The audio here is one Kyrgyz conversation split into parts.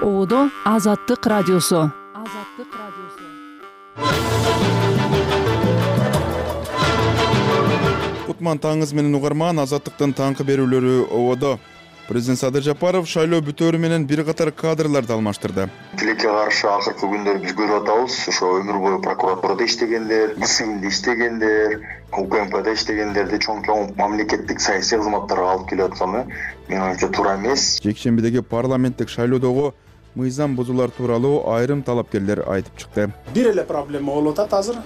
Оодо Азаттык радиосу. Кутман таңыз менен угарман, Азаттыктын таңкы берүүлөрү Оодо. Президент Садыр Жапаров шайлоо бүтөөрү менен бир катар кадрларды алмаштырды. Тилекке каршы акыркы күндөрү биз көрүп атабыз. Ошо өмүр бою прокуратурада иштегендер, ИСИМде иштегендер, УКМКда иштегендерди чоң мамлекеттик саясий кызматтарга алып келип атканы менин оюмча туура эмес. Жекшембидеги парламенттик шайлоодогу мыйзам бузуулар тууралуу айрым талапкерлер айтып чыкты. Бир эле проблема болуп атат азыр.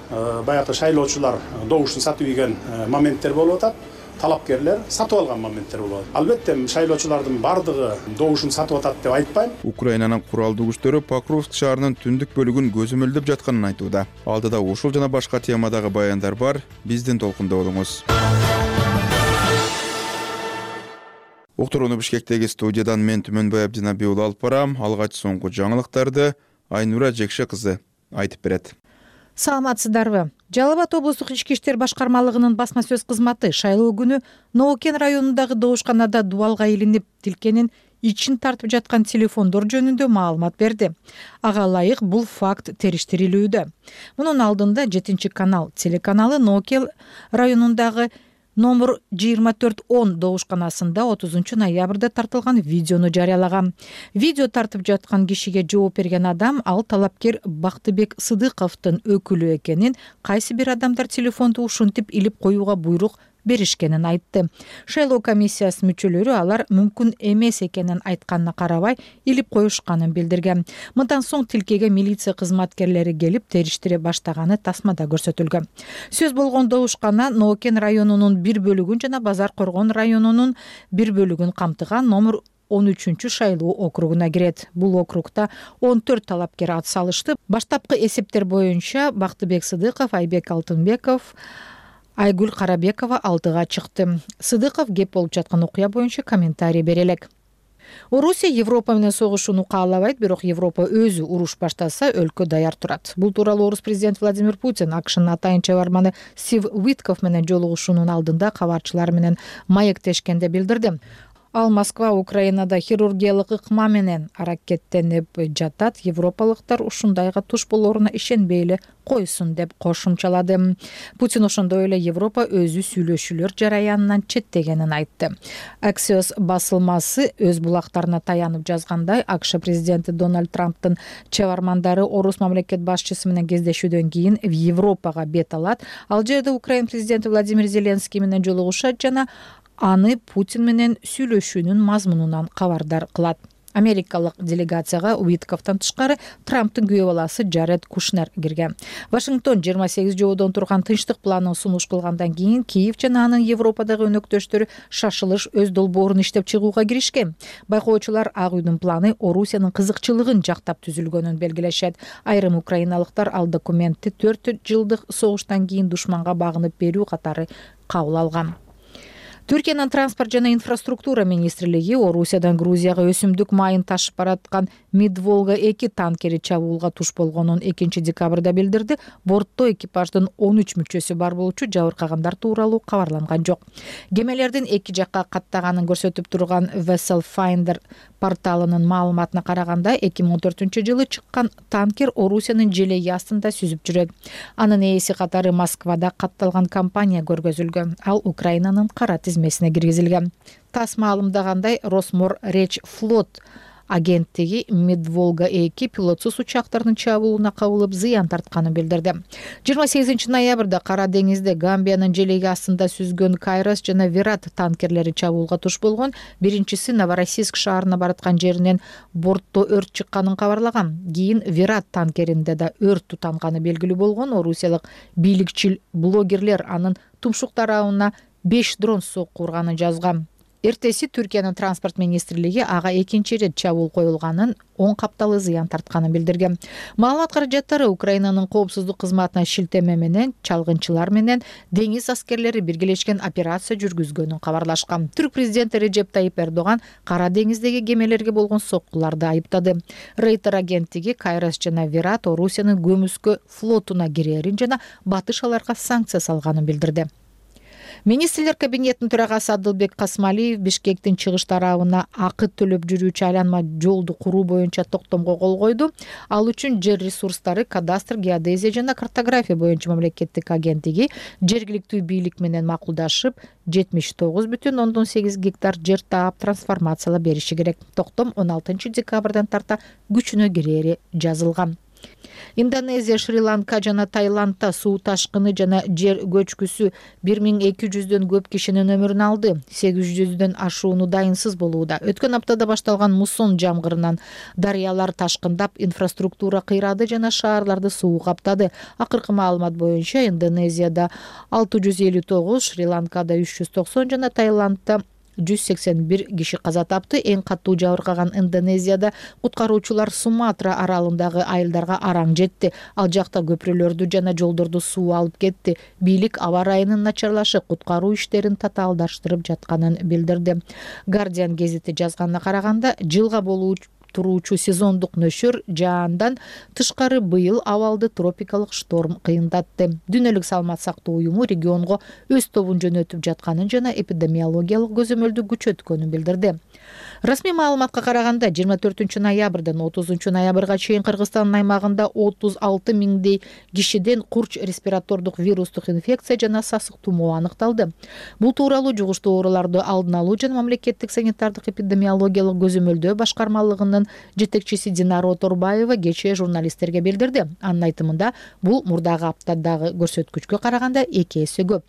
Баягы шайлоочулар добушун сатып ийген моменттер болуп атат. Талапкерлер сатып алган моменттер болот. Албетте шайлоочулардын бардыгы добушун сатып атат деп айтпайм. Украинанын куралдуу күчтөрү Покровск шаарынын түндүк бөлүгүн көзөмөлдөп жатканын айтууда. Алдыда ушул жана башка темадагы баяндар бар. Биздин толкунда болуңуз. Уктурууну Бишкектеги студиядан мен Түмөнбай Абдинаби уулу алып барам. Алгач соңку жаңылыктарды Айнура Жекше кызы айтып берет. Саламатсыздарбы? Жалал Абад облустук ички иштер башкармалыгынын басма сөз кызматы шайлоо күнү Ноокен районундагы добушканада дубалга илинип тилкенин ичин тартып жаткан телефондор жөнүндө маалымат берди. Ага ылайык бул факт териштирилүүдө. Мунун алдында 7-канал телеканалы Ноокен районундагы номер 2410 добушканасында 30 ноябрда тартылган видеону жарыялаган. Видео тартып жаткан кишиге жооп берген адам ал талапкер Бактыбек Сыдыковдун өкүлү экенин, кайсы бир адамдар телефонду ушинтип илип коюуга буйрук беришкенин айтты. Шайлоо комиссиясынын мүчөлөрү алар мүмкүн эмес экенин айтканына карабай илип коюшканын билдирген. Мындан соң тилкеге милиция кызматкерлери келип териштире баштаганы тасмада көрсөтүлгөн. Сөз болгон добушкана Ноокен районунун бир бөлүгүн жана Базар Коргон районунун бир бөлүгүн камтыган номер 13 шайлоо округуна кирет. Бул округда 14 талапкер ат салышты. Баштапкы эсептер боюнча Бактыбек Сыдыков, Айбек Алтынбеков, Айгүл Карабекова алдыга чыкты. Сыдыков кеп болуп жаткан окуя боюнча комментарий бере элек. Орусия Европа менен согушууну каалабайт, бирок Европа өзү уруш баштаса өлкө даяр турат. Бул тууралуу орус президенти Владимир Путин АКШнын атайын чыгарманы Стив Уитков менен жолугушуунун алдында кабарчылар менен маектешкенде билдирди. Ал Москва Украинада хирургиялык ыкма менен аракеттенип жатат. Европалыктар ушундайга туш болоруна ишенбей эле койсун деп кошумчалады. Путин ошондой эле Европа өзү сүйлөшүүлөр жараянынан четтегенин айтты. Axios басылмасы өз булактарына таянып жазгандай, АКШ президенти Дональд Трамптын чыгармандары орус мамлекет башчысы менен кездешүүдөн кийин Европага бет алат. Ал жерде Украина президенти Владимир Зеленский менен жолугушат жана аны Путин менен сүйлөшүүнүн мазмунунан кабардар кылат. Америкалык делегацияга Уитковдон тышкары Трамптын күйөө баласы Джаред Кушнер кирген. Вашингтон 28 жоодон турган тынчтык планын сунуш кылгандан кийин Киев жана анын Европадагы өнөктөштөрү шашылыш өз долбоорун иштеп чыгууга киришкен. Байкоочулар Ак үйдүн планы Орусиянын кызыкчылыгын жактап түзүлгөнүн белгилешет. Айрым украиналыктар ал документти 4 жылдык согуштан кийин душманга багынып берүү катары кабыл алган. Түркиянын транспорт жана инфраструктура министрлиги Орусиядан Грузияга өсүмдүк майын ташып бараткан Мид-Волга-2 танкери чабуулга туш болгонун 2 декабрда билдирди. Бортто экипаждын 13 мүчөсү бар болчу, жабыркагандар тууралуу кабарланган жок. Кемелердин эки жакка каттаганын көрсөтүп турган Vessel Finder порталынын маалыматына караганда 2014 жылы чыккан танкер Орусиянын желеги астында сүзүп жүрөт. Анын ээси катары Москвада катталган компания көргөзүлгөн. Ал Украинанын кара тизмесине киргизилген. ТАСС маалымдагандай, Росморречфлот агенттиги Мид-Волга-2 пилотсуз учактардын чабуулуна кабылып зыян тартканын билдирди. 28 ноябрда Кара деңизде Гамбиянын желеги астында сүзгөн Кайрос жана Вират танкерлери чабуулга туш болгон. Биринчиси Новороссийск шаарына бараткан жеринен бортто өрт чыкканын кабарлаган. Кийин Вират танкеринде да өрт тутанганы белгилүү болгон. Орусиялык бийликчил блогерлер анын тумшук тарабына 5 дрон сокку урганын жазган. Эртеси Түркиянын транспорт министрлиги ага экинчи ирет чабуул коюлганын, 10 капталы зыян тартканын билдирген. Маалымат каражаттары Украинанын коопсуздук кызматына шилтеме менен чалгынчылар менен деңиз аскерлери биргелешкен операция жүргүзгөнүн кабарлашкан. Түрк президенти Режеп Тайип Эрдоган Кара деңиздеги кемелерге болгон соккуларды айыптады. Рейтер агенттиги Кайрос жана Вират Орусиянын көмүскө флотуна кирерин жана батыш аларга санкция салганын билдирди. Министрлер кабинетинин төрагасы Адылбек Касмалиев Бишкектин чыгыш тарабына акы төлөп жүрүүчү айланма жолду куруу боюнча токтомго кол койду. Ал үчүн жер ресурстары, кадастр, геодезия жана картография боюнча мамлекеттик агенттиги жергиликтүү бийлик менен макулдашып 79,8 гектар жер таап трансформациялап бериши керек. Токтом 16 декабрдан тарта күчүнө кирери жазылган. Индонезия, Шри-Ланка жана Таиландда суу ташкыны жана жер көчкүсү 1200дөн көп кишинин өмүрүн алды. 800дөн ашууну дайынсыз болууда. Өткөн аптада башталган муссон жамгырынан дарыялар ташкындап, инфраструктура кыйрады жана шаарларды суу каптады. Акыркы маалымат боюнча Индонезияда 659, Шри-Ланкада 390 жана Таиландда 181 киши каза тапты. Эң катуу жабыркаган Индонезияда куткаруучулар Суматра аралындагы айылдарга араң жетти. Ал жакта көпүрөлөрдү жана жолдорду суу алып кетти. Бийлик аба ырайынын начарлашы куткаруу иштерин татаалдаштырып жатканын билдирди. Guardian гезити жазганына караганда, жылга туруучу сезондук нөшөр жаандан тышкары быйыл абалды тропикалык шторм кыйындатты. Дүйнөлүк саламат сактоо уюму регионго өз тобун жөнөтүп жатканын жана эпидемиологиялык көзөмөлдү күчөткөнүн билдирди. Расмий маалыматка караганда 24 ноябрдан 30 ноябрга чейин Кыргызстандын аймагында 36 миңдей кишиден курч респиратордук вирустук инфекция жана сасык тумоо аныкталды. Бул тууралуу жугуштуу ооруларды алдын алуу жана мамлекеттик санитардык эпидемиологиялык көзөмөлдөө башкармалыгынын жетекчиси Динара Оторбаева кечээ журналисттерге билдирди. Анын айтымында, бул мурдагы аптадагы көрсөткүчкө караганда 2 эсе көп.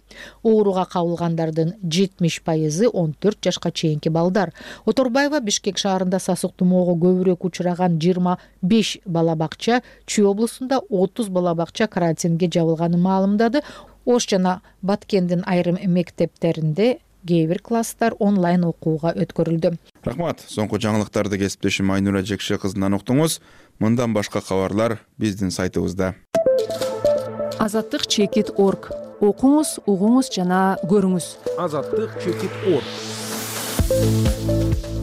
Ооруга кабылгандардын 70% 14 жашка чейинки балдар. Оторбаева Бишкек шаарында сасык тумоого көбүрөөк учураган 25 бала бакча, Чүй облусунда 30 бала бакча карантинге жабылганын маалымдады. Ош жана Баткендин айрым мектептеринде кээ бир класстар онлайн окууга өткөрүлдү. Рахмат. Соңку жаңылыктарды кесиптешим Айнура Жекше кызынан уктуңуз. Мындан башка кабарлар биздин сайтыбызда. Азаттык.org. Окуңуз, угуңуз жана көрүңүз. Азаттык.org.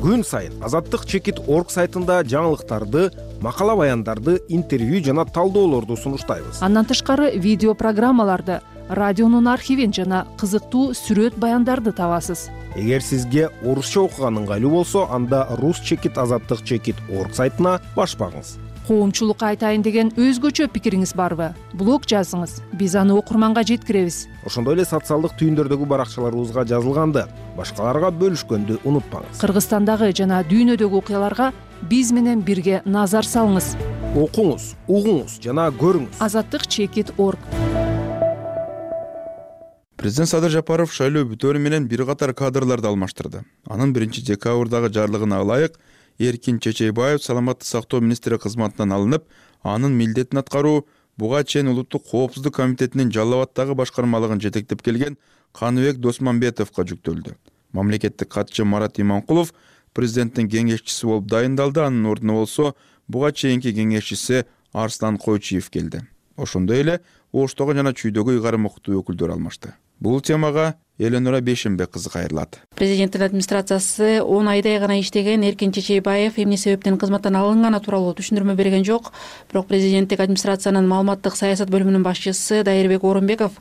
Күн сайын Азаттык.org сайтында жаңылыктарды, макала баяндарды, интервью жана талдоолорду сунуштайбыз. Андан тышкары видео программаларды, радионун архивин жана кызыктуу сүрөт баяндарды табасыз. Эгер сизге орусча окуган ыңгайлуу болсо, анда Азаттык.org сайтына баш багыңыз. Коомчулукка айтайын деген өзгөчө пикириңиз барбы? Блог жазыңыз. Биз аны окурманга жеткиребиз. Ошондой эле социалдык түйүндөрдөгү баракчаларыбызга жазылганды башкаларга бөлүшкөндү унутпаңыз. Кыргызстандагы жана дүйнөдөгү окуяларга биз менен бирге назар салыңыз. Окуңуз, угуңуз жана көрүңүз. Азаттык.org. Президент Садыр Жапаров шайлоо бүтөөрү менен бир катар кадрларды алмаштырды. Анын 1 декабрдагы жарлыгына ылайык Эркин Чечейбаев саламаттык сактоо министри кызматынан алынып, анын милдетин аткаруу буга чейин Улуттук коопсуздук комитетинин Жалал Абаддагы башкармалыгын жетектеп келген Каныбек Досмамбетовго жүктөлдү. Мамлекеттик катчы Марат Иманкулов президенттин кеңешчиси болуп дайындалды, анын ордуна болсо буга чейинки кеңешчиси Арслан Койчиев келди. Ошондой эле Оштогу жана Чүйдөгү ыйгарым окутуу өкүлдөрү алмашты. Бул темага Эленора Бешенбек кызы кайрылат. Президенттин администрациясы 10 айдай гана иштеген Эркин Чечейбаев эмне себептен кызматтан алынганы тууралуу түшүндүрмө берген жок. Бирок президенттик администрациянын маалыматтык саясат бөлүмүнүн башчысы Дайырбек Орунбеков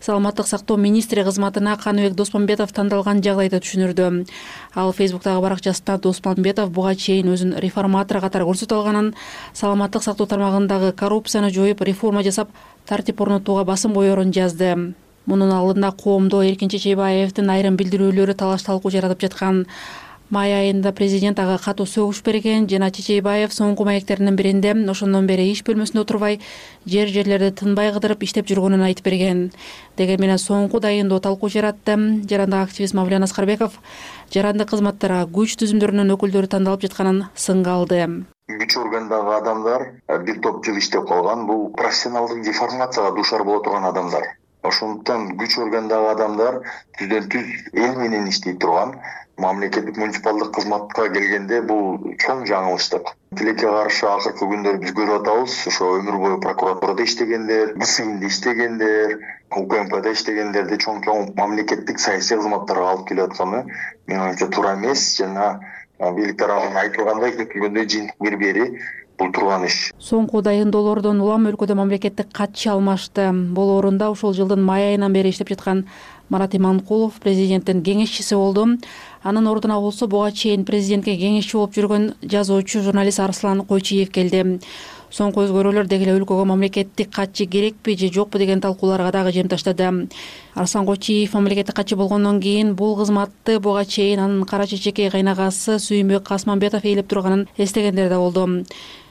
саламаттык сактоо министри кызматына Каныбек Досмамбетов тандалган жагдайда түшүндүрдү. Ал Фейсбуктагы баракчасында Досмамбетов буга чейин өзүн реформатор катары көрсөтө алганын, саламаттык сактоо тармагындагы коррупцияны жоюп, реформа жасап, тартип орнотууга басым коерун жазды. Мунун алдында коомдо Эркин Чечейбаевдин айрым билдирүүлөрү талаш талкуу жаратып жаткан. Май айында президент ага катуу сөгүш берген жана Чечейбаев соңку маектеринин биринде ошондон бери иш бөлмөсүндө отурбай, жерлерди тынбай кыдырып иштеп жүргөнүн айтып берген. Деген менен соңку дайындоо талкуу жаратты. Жарандык активист Мавлен Аскарбеков жарандык кызматтарга күч түзүмдөрүнүн өкүлдөрү тандалып жатканын сынга алды. Күч органдагы адамдар бир топ жыл иштеп калган, бул профессионалдык деформацияга дуушар боло турган адамдар. Ошондуктан күч органдагы адамдар түздөн-түз эл менен иштей турган, мамлекеттик муниципалдык кызматка келгенде бул чоң жаңылыштык. Тилекке каршы акыркы күндөрү биз көрүп атабыз, ошо өмүр бою прокуратурада иштегендер, ГСИМде иштегендер, УКМКда иштегендерди чоң мамлекеттик саясий кызматтарга алып келип атканы менин оюмча туура эмес жана бийлик тарабынан айтылгандай көтүлгөндөй жыйынтык бербери бул турган иш. Соңку дайындоолордон улам өлкөдө мамлекеттик катчы алмашты. Бул орунда ушул жылдын май айынан бери иштеп жаткан Марат Иманкулов президенттин кеңешчиси болду. Анын ордуна болсо буга чейин президентке кеңешчи болуп жүргөн жазуучу журналист Арслан Койчиев келди. Соңку өзгөрүүлөр деги эле өлкөгө мамлекеттик катчы керекпи же жокпу деген талкууларга дагы жем таштады. Арслан Койчиев мамлекеттик катчы болгондон кийин бул кызматты буга чейин анын кара чечекей кайнагасы Сүйүнбек Касманбетов ээлеп турганын эстегендер да болду.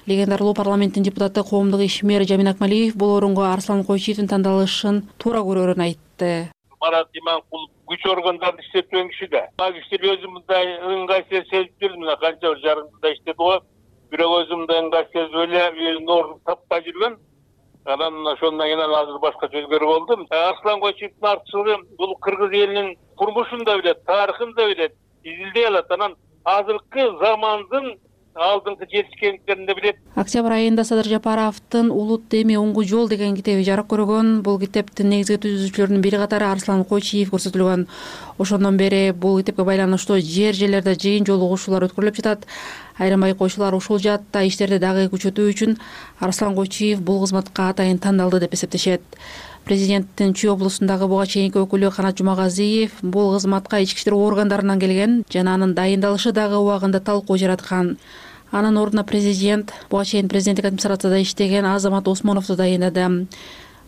Легендарлуу парламенттин депутаты коомдук ишмер Жамин Акмалиев бул орунго Арслан Койчиевдин тандалышын туура көрөрүн айтты. Марат Иманкулов күч органдарын иштеткен киши да. Киши өзүм мындай ыңгайсыз сезип жүрдүм, мына канча жарым жылда иштеди го. Бирок өзүм да ыңгайсыз сезип эле өзүнүн ордун таппай жүргөн. Анан ошондон кийин азыр башкача өзгөрүп болдум. Арслан Койчиевдин артчылыгы бул кыргыз элинин турмушун да билет, тарыхын да билет, изилдей алат. Анан азыркы замандын алдыңкы жетишкендиктерин да билет. Октябрь айында Садыр Жапаровдун Улут эми оңгу жол деген китеби жарык көргөн. Бул китептин негизги түзүүчүлөрүнүн бири катары Арслан Койчиев көрсөтүлгөн. Ошондон бери бул китепке байланыштуу жерлерде жыйын жолугушуулар өткөрүлүп жатат. Айрым байкоочулар ушул жаатта иштерди дагы күчөтүү үчүн Арслан Койчиев бул кызматка атайын тандалды деп эсептешет. Президенттин Чүй облусундагы буга чейинки өкүлү Канат Жумагазиев бул кызматка ички иштер органдарынан келген жана анын дайындалышы дагы убагында талкуу жараткан. Анын ордуна президент буга чейин президенттик администрацияда иштеген Азамат Осмоновду дайындады.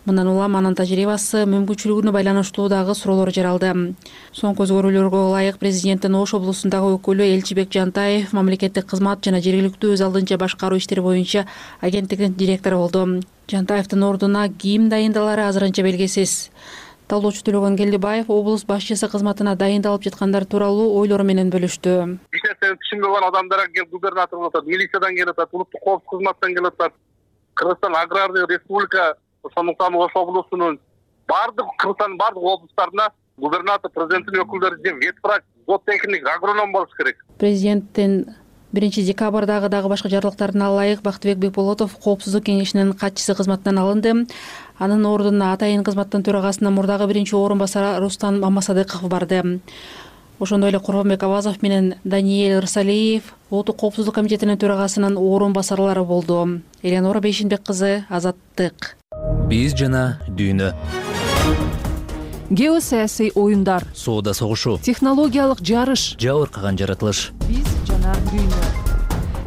Мындан улам анын тажрыйбасы, мүмкүнчүлүгүнө байланыштуу дагы суроолор жаралды. Соңку өзгөрүүлөргө ылайык президенттин Ош облусундагы өкүлү Элчибек Жантаев мамлекеттик кызмат жана жергиликтүү өз алдынча башкаруу иштери боюнча агенттиктин директору болду. Жантаевдин ордуна ким дайындалары азырынча белгисиз. Талоочу Төлөгөн Келдибаев облус башчысы кызматына дайындалып жаткандар тууралуу ойлору менен бөлүштү. Эч нерсени түшүнбөгөн адамдар келип губернатор болуп атат, милициядан келип атат, улуттук коопсуздук кызматтан келип атат. Кыргызстан агрардык республика, ошондуктан Ош облусунун бардык Кыргызстандын бардык облустарына губернатор, президенттин өкүлдөрү же ветврач, зоотехник, агроном болуш керек. Президенттин 1-декабрдагы дагы башка жарлыктарына ылайык Бактыбек Бекболотов коопсуздук кеңешинин катчысы кызматынан алынды. Анын ордуна атайын кызматтын төрагасынын мурдагы биринчи орун басары Рустам Мамасадыков барды. Ошондой эле Курбанбек Авазов менен Даниэль Рысалиев Улуттук коопсуздук комитетинин төрагасынын орун басарлары болду. Эленора Бейшинбек кызы, Азаттык. Биз жана дүйнө. Геосаясий оюндар, Соода согушу, технологиялык жарыш, жабыркаган жаратылыш. Биз жана дүйнө.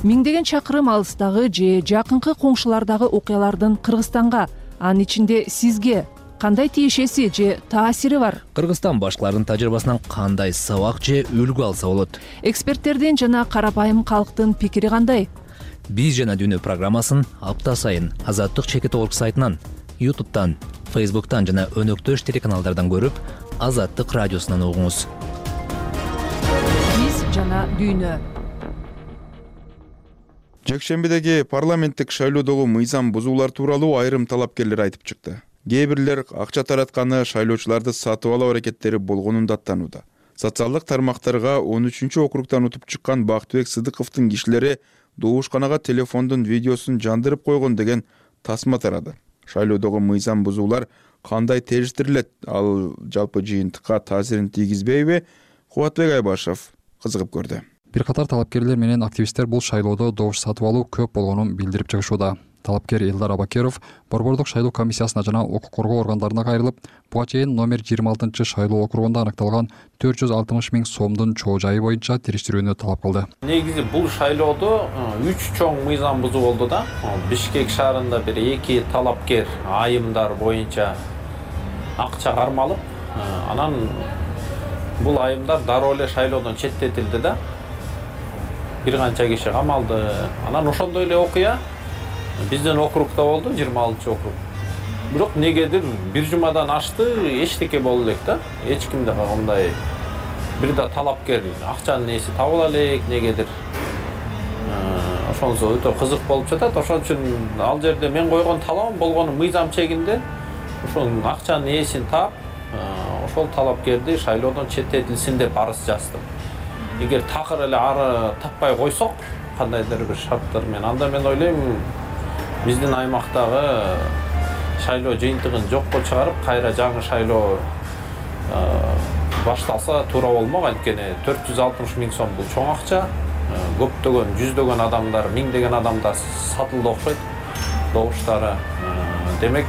Миңдеген чакырым алыстагы же жакынкы коңшулардагы окуялардын Кыргызстанга, анын ичинде сизге кандай тиешеси же таасири бар? Кыргызстан башкалардын тажрыйбасынан кандай сабак же үлгү алса болот? Эксперттердин жана карапайым калктын пикири кандай? Биз жана дүйнө программасын апта сайын Азаттык Чекит.org сайтынан, YouTube'дан, Facebook'tan жана өнөктөш телеканалдардан көрүп, Азаттык радиосунан угуңуз. Биз жана дүйнө. Жекшембидеги парламенттик шайлоодогу мыйзам бузуулар тууралуу айрым талапкерлер айтып чыкты. Кээ бирлер акча таратканы шайлоочуларды сатып алуу аракеттери болгонун даттанууда. Социалдык тармактарга 13-округтан утуп чыккан Бактыбек Сыдыковдун кишилери добушканага телефондун видеосун жандырып койгон деген тасма тарады. Шайлоодогу мыйзам бузуулар кандай териштирилет, ал жалпы жыйынтыкка таасирин тийгизбейби? Кубатбек Айбашев кызыгып көрдү. Бир катар талапкерлер менен активисттер бул шайлоодо добуш сатып алуу көп болгонун билдирип чыгышууда. Талапкер Элдар Абакеров Борбордук шайлоо комиссиясына жана укук коргоо органдарына кайрылып, буга чейин номер 26 шайлоо округунда аныкталган 460 000 сомдун чоо жайы боюнча териштирүүнү талап кылды. Негизи бул шайлоодо 3 чоң мыйзам бузуу болду да. Бишкек шаарында бир 2 талапкер айымдар боюнча акча кармалып, анан бул айымдар дароо эле шайлоодон четтетилди да. Бир канча киши камалды. Анан ошондой эле окуя биздин округда болду, 26-округ. Бирок негедир бир жумадан ашты, эчтеке болду элек да. Эч кимде кандай бир да талапкер акчанын ээси табыла элек, негедир. Ошонсо өтө кызык болуп жатат. Ошон үчүн ал жерде мен койгон талабым болгону мыйзам чегинде ошонун акчанын ээсин таап, ошол талапкерди шайлоодон четтетилсин деп арыз жаздым. Эгер такыр эле ары таппай койсок, кандайдыр бир шарттар менен, анда мен ойлойм биздин аймактагы шайлоо жыйынтыгын жокко чыгарып, кайра жаңы шайлоо башталса туура болмок. Анткени 460 000 сом бул чоң акча. Көптөгөн, жүздөгөн адамдар, миңдеген адамдар сатылды окшойт добуштары. Демек,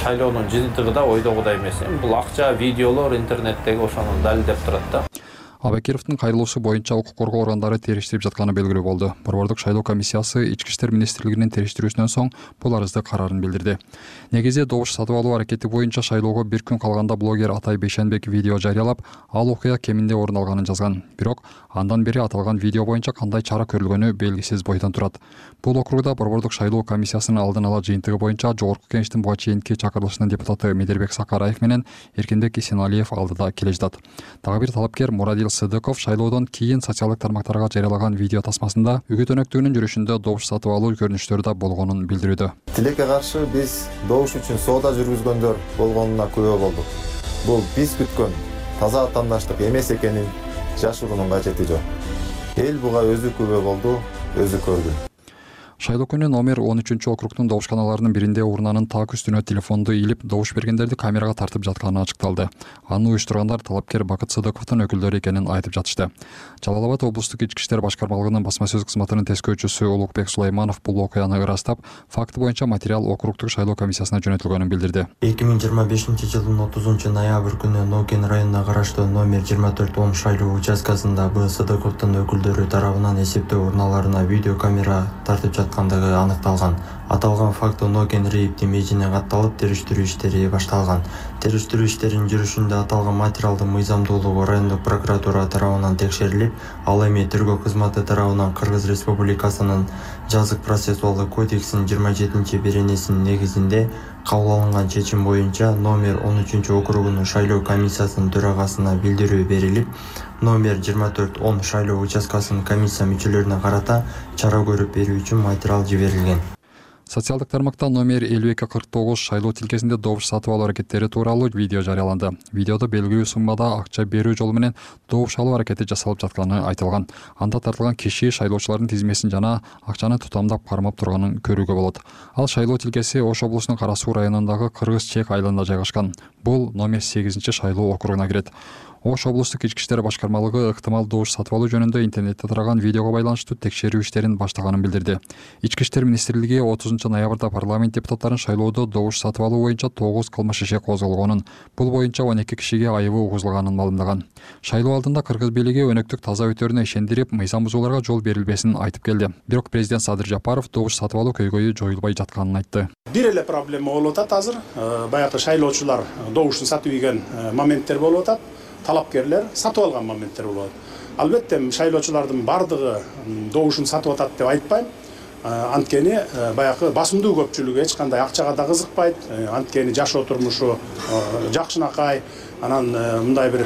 шайлоонун жыйынтыгы да ойдогудай эмес. Бул акча, видеолор интернеттеги ошону далилдеп турат да. Абакировдун кайрылуусу боюнча укук коргоо органдары териштирип жатканы белгилүү болду. Борбордук шайлоо комиссиясы Ички иштер министрлигинин териштирүүсүнөн соң бул арызды караарын билдирди. Негизи добуш сатып алуу аракети боюнча шайлоого bir күн калганда блогер Атай Бейшенбек видео жарыялап, ал окуя кеминде орун алганын жазган. Бирок андан бери аталган видео боюнча кандай чара көрүлгөнү белгисиз бойдон турат. Бул округда борбордук шайлоо комиссиясынын алдын ала жыйынтыгы боюнча Жогорку Кеңештин буга чейинки чакырылышынын депутаты Медербек Сакараев менен Эркинбек Исеналиев алдыда келе жатат. Дагы бир талапкер Мурадил Сыдыков шайлоодон кийин социалдык тармактарга жарыялаган видео тасмасында үгүт өнөктүгүнүн жүрүшүндө добуш сатып алуу көрүнүштөрү да болгонун билдирүүдө. Тилекке каршы биз добуш үчүн соода жүргүзгөндөр болгонуна күбө болдук. Бул биз күткөн таза атаандаштык эмес экенин жашыруунун кажети жок. Эл буга өзү күбө болду, өзү көрдү. Шайлоо күнү номер 13-округдун добушканаларынын биринде урнанын так үстүнө телефонду илип добуш бергендерди камерага тартып жатканы ачыкталды. Аны уюштургандар талапкер Бакыт Сыдыковдун өкүлдөрү экенин айтып жатышты. Жалал Абад облустук ички иштер башкармалыгынын басма сөз кызматынын тескөөчүсү Улукбек Сулайманов бул окуяны ырастап, факты боюнча материал округдук шайлоо комиссиясына жөнөтүлгөнүн билдирди. 2025-жылдын 30-ноябрь күнү Нокен районуна караштуу номер 24 шайлоо участкасында Б. Сыдыковдун өкүлдөрү тарабынан эсептөө урналарына видео камера тартып жаткандыгы аныкталган. Аталган факт Нокен РИИБдин мейжине катталып, териштирүү иштери башталган. Териштирүү иштеринин жүрүшүндө аталган материалдын мыйзамдуулугу райондук прокуратура тарабынан текшерилип, ал эми тергөө кызматы тарабынан Кыргыз Республикасынын жазык процессуалдык кодексинин 27-беренесинин негизинде кабыл алынган чечим боюнча номер 13-округунун шайлоо комиссиясынын төрагасына билдирүү берилип, номер 24-10 шайлоо участкасынын комиссия мүчөлөрүнө карата чара көрүп берүү үчүн материал жиберилген. Социалдык тармакта номер 5249 шайлоо тилкесинде добуш сатып алуу аракеттери тууралуу видео жарыяланды. Видеодо белгилүү суммада акча берүү жолу менен добуш алуу аракети жасалып жатканы айтылган. Анда тартылган киши шайлоочулардын тизмесин жана акчаны тутамдап кармап турганын көрүүгө болот. Ал шайлоо тилкеси Ош облусунун Кара Суу районундагы Кыргыз-Чек айылында жайгашкан. Бул номер 8-шайлоо округуна кирет. Ош облустук ички иштер башкармалыгы ыктымал добуш сатып алуу жөнүндө интернетте тараган видеого байланыштуу текшерүү иштерин баштаганын билдирди. Ички иштер министрлиги 30-ноябрда парламент депутаттарын шайлоодо добуш сатып алуу боюнча 9 кылмыш иши козголгонун, бул боюнча 12 кишиге айыбы угузулганын маалымдаган. Шайлоо алдында Кыргыз бийлиги өнөктүк таза өтөрүнө ишендирип, мыйзам бузууларга жол берилбесин айтып келди. Бирок президент Садыр Жапаров добуш сатып алуу көйгөйү жоюлбай жатканын айтты. Бир эле проблема болуп атат азыр. Баягы шайлоочулар добушун сатып ийген моменттер болуп атат. Талапкерлер сатып алган моменттер болот. Албетте шайлоочулардын бардыгы добушун сатып атат деп айтпайм. Анткени баягы басымдуу көпчүлүгү эч кандай акчага да кызыкпайт. Анткени жашоо турмушу жакшынакай, анан мындай бир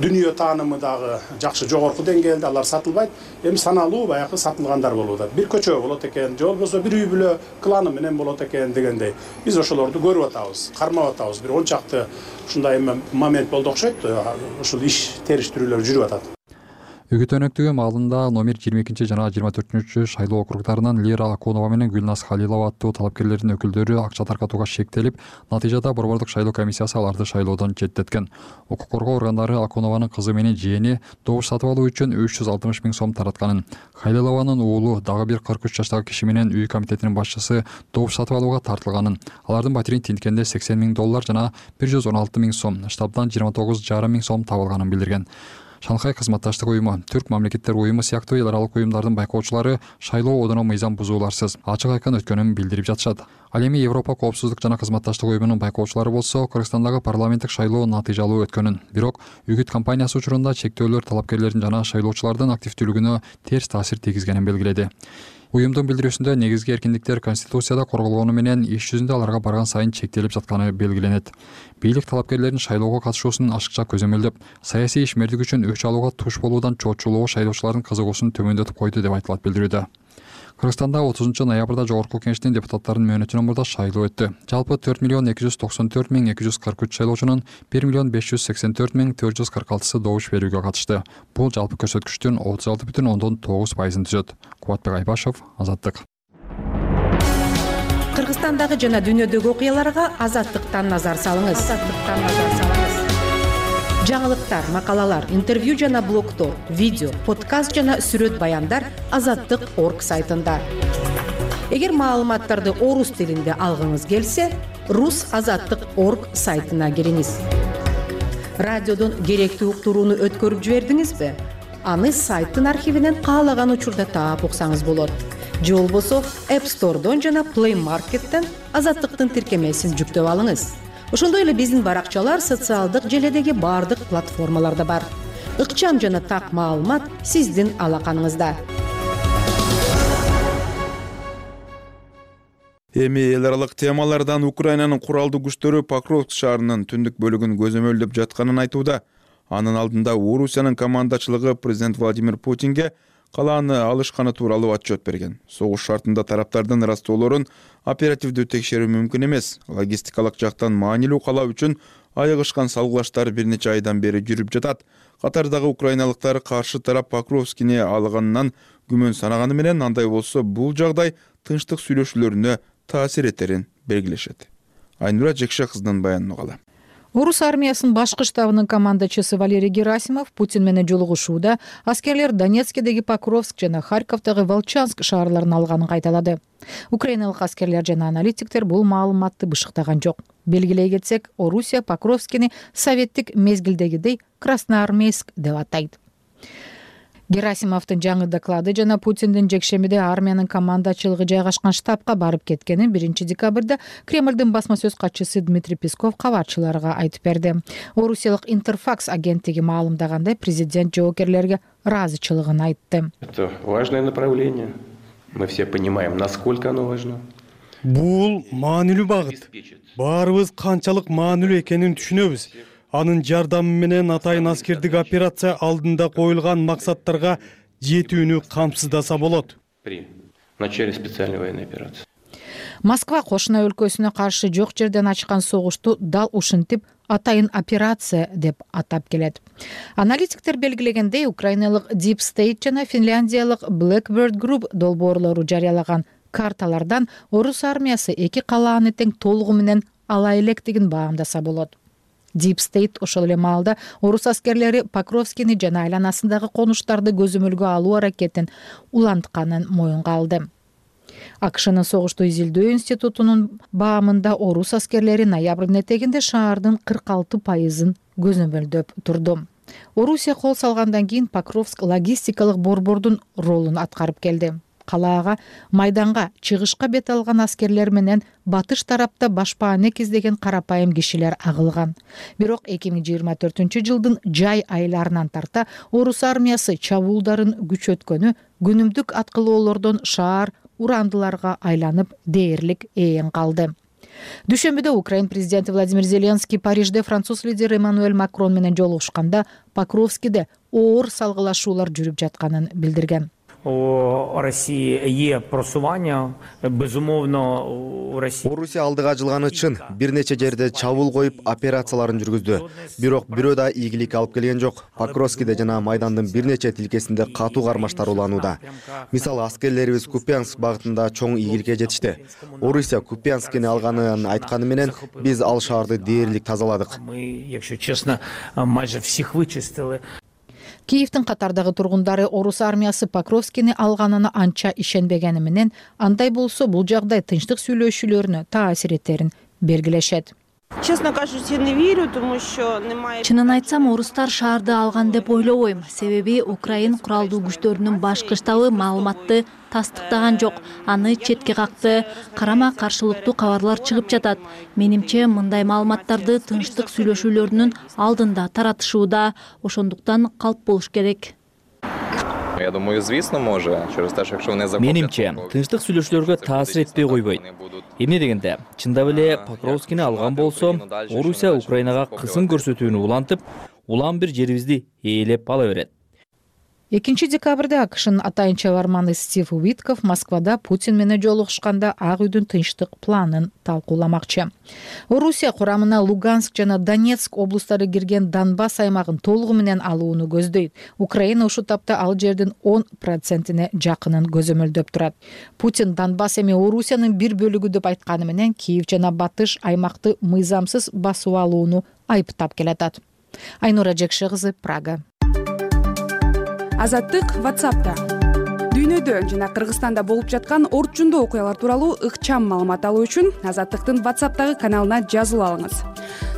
дүнүйө таанымы дагы жакшы жогорку деңгээлде, алар сатылбайт. Эми саналуу баягы сатылгандар болуп атат. Бир көчө болот экен, же болбосо бир үй бүлө кланы менен болот экен дегендей. Биз ошолорду көрүп атабыз, кармап атабыз. Бир 10 чакты ушундай момент болду окшойт. Ушул иш териштирүүлөр жүрүп атат. Үгүт өнөктүгү маалында номер 22 жана 24 шайлоо округдарынан Лера Акунова менен Гүлназ Халилова аттуу талапкерлердин өкүлдөрү акча таркатууга шектелип, натыйжада борбордук шайлоо комиссиясы аларды шайлоодон четтеткен. Укук коргоо органдары Акунованын кызы менен жээни добуш сатып алуу үчүн 360 миң сом таратканын, Халилованын уулу дагы бир 43 жаштагы киши менен үй комитетинин башчысы добуш сатып алууга тартылганын, алардын батирин тинткенде $80 миң жана 116 миң сом, штабдан 29,5 миң сом табылганын билдирген. Шанхай кызматташтык уюму, Түрк мамлекеттер уюму сыяктуу эл аралык уюмдардын байкоочулары шайлоо одуна мыйзам бузууларсыз, ачык айкын өткөнүн билдирип жатышат. Ал эми Европа коопсуздук жана кызматташтык уюмунун байкоочулары болсо Кыргызстандагы парламенттик шайлоо натыйжалуу өткөнүн, бирок үгүт кампаниясы учурунда чектөөлөр талапкерлердин жана шайлоочулардын активдүүлүгүнө терс таасир тийгизгенин белгиледи. Уюмдун билдирүүсүндө негизги эркиндиктер Конституцияда корголгону менен иш жүзүндө аларга барган сайын чектелип жатканы белгиленет. Бийлик талапкерлердин шайлоого катышуусун ашыкча көзөмөлдөп, саясий ишмердик үчүн өч алууга туш болуудан чоочулоо шайлоочулардын кызыгуусун төмөндөтүп койду деп айтылат билдирүүдө. Кыргызстанда 30-ноябрда Жогорку Кеңештин депутаттарынын мөөнөтүнөн мурда шайлоо өттү. Жалпы 4,294,243 шайлоочунун 1,584,446 добуш берүүгө катышты. Бул жалпы көрсөткүчтүн 36,9%-ын түзөт. Кубатбек Айбашев, Азаттык. Кыргызстандагы жана дүйнөдөгү окуяларга Азаттыктан назар салыңыз. Жаңылыктар, макалалар, интервью жана блогдор, видео, подкаст жана сүрөт баяндар Азаттык.org сайтында. Эгер маалыматтарды орус тилинде алгыңыз келсе, rusazattik.org сайтына кириңиз. Радиодон керектүү уктурууну өткөрүп жибердиңизби? Аны сайттын архивинен каалаган учурда таап уксаңыз болот. Же болбосо App Store'дон жана Play Market'тен Азаттыктын тиркемесин жүктөп алыңыз. Ошондой эле биздин баракчалар социалдык желедеги баардык платформаларда бар. Ыкчам жана так маалымат сиздин алаканыңызда. Эми эл аралык темалардан Украинанын куралдуу күчтөрү Покровск шаарынын түндүк бөлүгүн көзөмөлдөп жатканын айтууда. Анын алдында Орусиянын командачылыгы президент Владимир Путинге калааны алышканы тууралуу отчет берген. Согуш шартында тараптардын ыраазычылыктарын оперативдүү текшерүү мүмкүн эмес. Логистикалык жактан маанилүү кала үчүн айыгышкан салгылаштар бир нече айдан бери жүрүп жатат. Катардагы украиналыктар каршы тарап Покровскини алганынан күмөн санаганы менен андай болсо бул жагдай тынчтык сүйлөшүүлөрүнө таасир этерин белгилешет. Айнура Жекше кызынын баянын угалы. Орус армиясынын башкы штабынын командачысы Валерий Герасимов Путин менен жолугушууда аскерлер Донецкдеги Покровск жана Харьковдагы Волчанск шаарларын алганын кайталады. Украиналык аскерлер жана аналитиктер бул маалыматты бышыктаган жок. Белгилей кетсек, Орусия Покровскини советтик мезгилдегидей Красноармейск деп атайт. Герасимовдун жаңы доклады жана Путиндин жекшемиде армиянын командачылыгы жайгашкан штабка барып кеткенин 1 декабрда Кремлдин басма сөз катчысы Дмитрий Песков кабарчыларга айтып берди. Орусиялык Интерфакс агенттиги маалымдагандай, президент жоокерлерге ыраазычылыгын айтты. Это важное направление. Мы все понимаем, насколько оно важно. Бул маанилүү багыт. Баарыбыз канчалык маанилүү экенин түшүнөбүз. Анын жардамы менен атайын аскердик операция алдында коюлган максаттарга жетүүнү камсыздаса болот. При начале специальной военной операции. Москва кошуна өлкөсүнө каршы жок жерден ачкан согушту дал ушинтип атайын операция деп атап келет. Аналитиктер белгилегендей, украиналык Deep State жана финляндиялык Blackbird Group долбоорлору жарыялаган карталардан Орус армиясы эки калааны тең толугу менен ала электигин баамдаса болот. Deep State ошол эле маалда орус аскерлери Покровскини жана айланасындагы конуштарды көзөмөлгө алуу аракетин улантканын моюнга алды. АКШнын согушту изилдөө институтунун баамында орус аскерлери ноябрдын этегинде шаардын 46% көзөмөлдөп турду. Орусия кол салгандан кийин Покровск логистикалык борбордун ролун аткарып келди. Калаага майданга чыгышка бет алган аскерлер менен батыш тарапта башпаанек издеген карапайым кишилер агылган. Бирок 2024-жылдын жай айларынан тарта орус армиясы чабуулдарын күчөткөнү күнүмдүк аткылоолордон шаар урандыларга айланып дээрлик ээн калды. Дүйшөмбүдө Украин президенти Владимир Зеленский Парижде француз лидери Эммануэль Макрон менен жолугушканда Покровскиде оор салгылашуулар жүрүп жатканын билдирген. У Росії є просування, безумовно, у Росії. Орусия алдыга жылганы чын, бир нече жерде чабуул коюп операцияларын жүргүздү. Бирок бирөө да ийгилик алып келген жок. Покровскиде жана майдандын бир нече тилкесинде катуу кармаштар уланууда. Мисалы, аскерлерибиз Купянск багытында чоң ийгиликке жетишти. Орусия Купянскини алганын айтканы менен биз ал шаарды дээрлик тазаладык. Мы, якщо чесно, майже всіх вичистили. Киевдин катардагы тургундары орус армиясы Покровскини алганына анча ишенбегени менен, андай болсо бул жагдай тынчтык сүйлөшүүлөрүнө таасир этерин белгилешет. Честно кажучи, не верю, тому что немає. Чынын айтсам, орустар шаарды алган деп ойлобойм. Себеби Украин куралдуу күчтөрүнүн башкы штабы маалыматты тастыктаган жок. Аны четке какты, карама каршылыктуу кабарлар чыгып жатат. Менимче, мындай маалыматтарды тынчтык сүйлөшүүлөрүнүн алдында таратышууда, ошондуктан калп болуш керек. Я думаю, звісно, може, через те, що якщо вони захоплять... Менимче, тынчтык сүйлөшүүлөргө таасир этпей койбойт. Эмне дегенде, чындап эле Покровскини алган болсо, Орусия Украинага кысым көрсөтүүнү улантып, улам бир жерибизди ээлеп ала берет. 2 декабрда АКШнын атайын чабарманы Стив Уитков Москвада Путин менен жолугушканда Ак үйдүн тынчтык планын талкууламакчы. Орусия курамына Луганск жана Донецк облустары кирген Донбасс аймагын толугу менен алууну көздөйт. Украина ушул тапта ал жердин 10%-ине жакынын көзөмөлдөп турат. Путин Донбасс эми Орусиянын бир бөлүгү деп айтканы менен Киев жана Батыш аймакты мыйзамсыз басып алууну айыптап келатат. Айнура Жекше кызы, Прага. Азаттык WhatsApp'та. Дүйнө өлкөдө жана Кыргызстанда болуп жаткан орчундуу окуялар тууралуу ыкчам маалымат алуу үчүн Азаттыктын WhatsApp'тагы каналына жазылып алыңыз.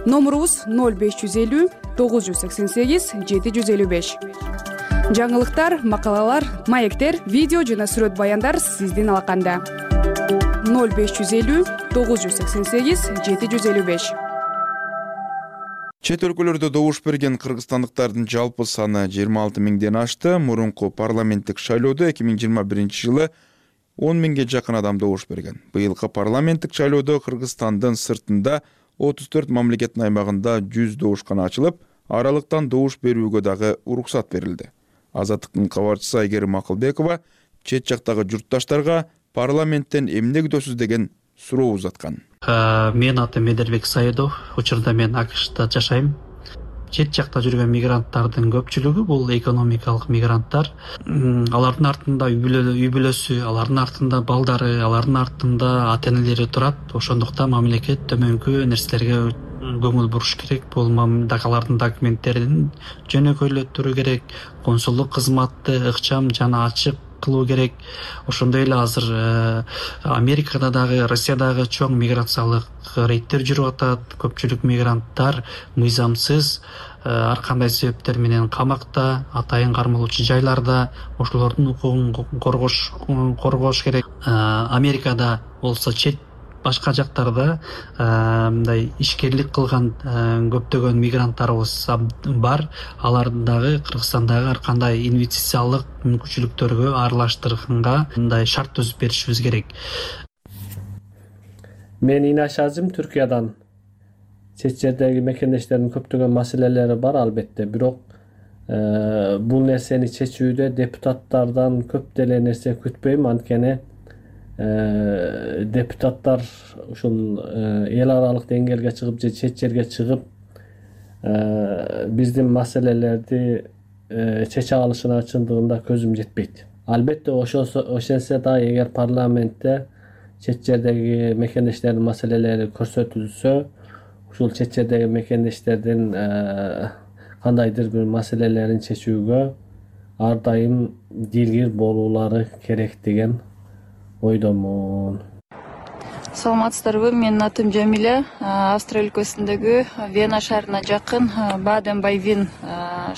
Номурубуз 0550 988 755. Жаңылыктар, макалалар, маектер, видео жана сүрөт баяндар сиздин алаканда. 0550 988 755. Чет өлкөлөрдө добуш берген кыргызстандыктардын жалпы саны 26 миңден ашты. Мурунку парламенттик шайлоодо 2021 жылы 10 миңге жакын адам добуш берген. Быйылкы парламенттик шайлоодо Кыргызстандын сыртында 34 мамлекеттин аймагында 100 добушкана ачылып, аралыктан добуш берүүгө дагы уруксат берилди. Азаттыктын кабарчысы Айгерим Акылбекова чет жактагы журтташтарга парламенттен эмне күтөсүз деген суроо узаткан. Менин атым Медербек Саидов, учурда мен АКШда жашайм. Чет жакта жүргөн мигранттардын көпчүлүгү бул экономикалык мигранттар. Алардын артында үй бүлөсү, алардын артында балдары, алардын артында ата-энелери турат. Ошондуктан мамлекет төмөнкү нерселерге көңүл буруш керек. Бул алардын документтерин жөнөкөйлөтүрүү керек, консулдук кызматты ыкчам жана ачык кылуу керек. Ошондой эле азыр Америкада дагы, Россиядагы чоң миграциялык рейдтер жүрүп атат. Көпчүлүк мигранттар мыйзамсыз ар кандай себептер менен камакта, атайын кармалуучу жайларда, ошолордун укугун коргош керек. Америкада болсо чет башка жактарда мындай ишкерлик кылган көптөгөн мигранттарыбыз бар. Аларды дагы Кыргызстандагы ар кандай инвестициялык мүмкүнчүлүктөргө аралаштырганга мындай шарт түзүп беришибиз керек. Мен Инаш Азим, Түркиядан. Чет жердеги мекендештердин көптөгөн маселелери бар албетте, бирок бул нерсени чечүүдө депутаттардан көп деле нерсе күтпөйм, анткени депутаттар ушул эл аралык деңгээлге чыгып же чет жерге чыгып биздин маселелерди чече алышына чындыгында көзүм жетпейт. Албетте ошентсе да эгер парламентте чет жердеги мекендештердин маселелери көрсөтүлсө, ушул чет жердеги мекендештердин кандайдыр бир маселелерин чечүүгө ар дайым дилгир болуулары керек деген ойдомун. Саламатсыздарбы, менин атым Жамиля. Австрия өлкөсүндөгү Вена шаарына жакын Баден-Байвин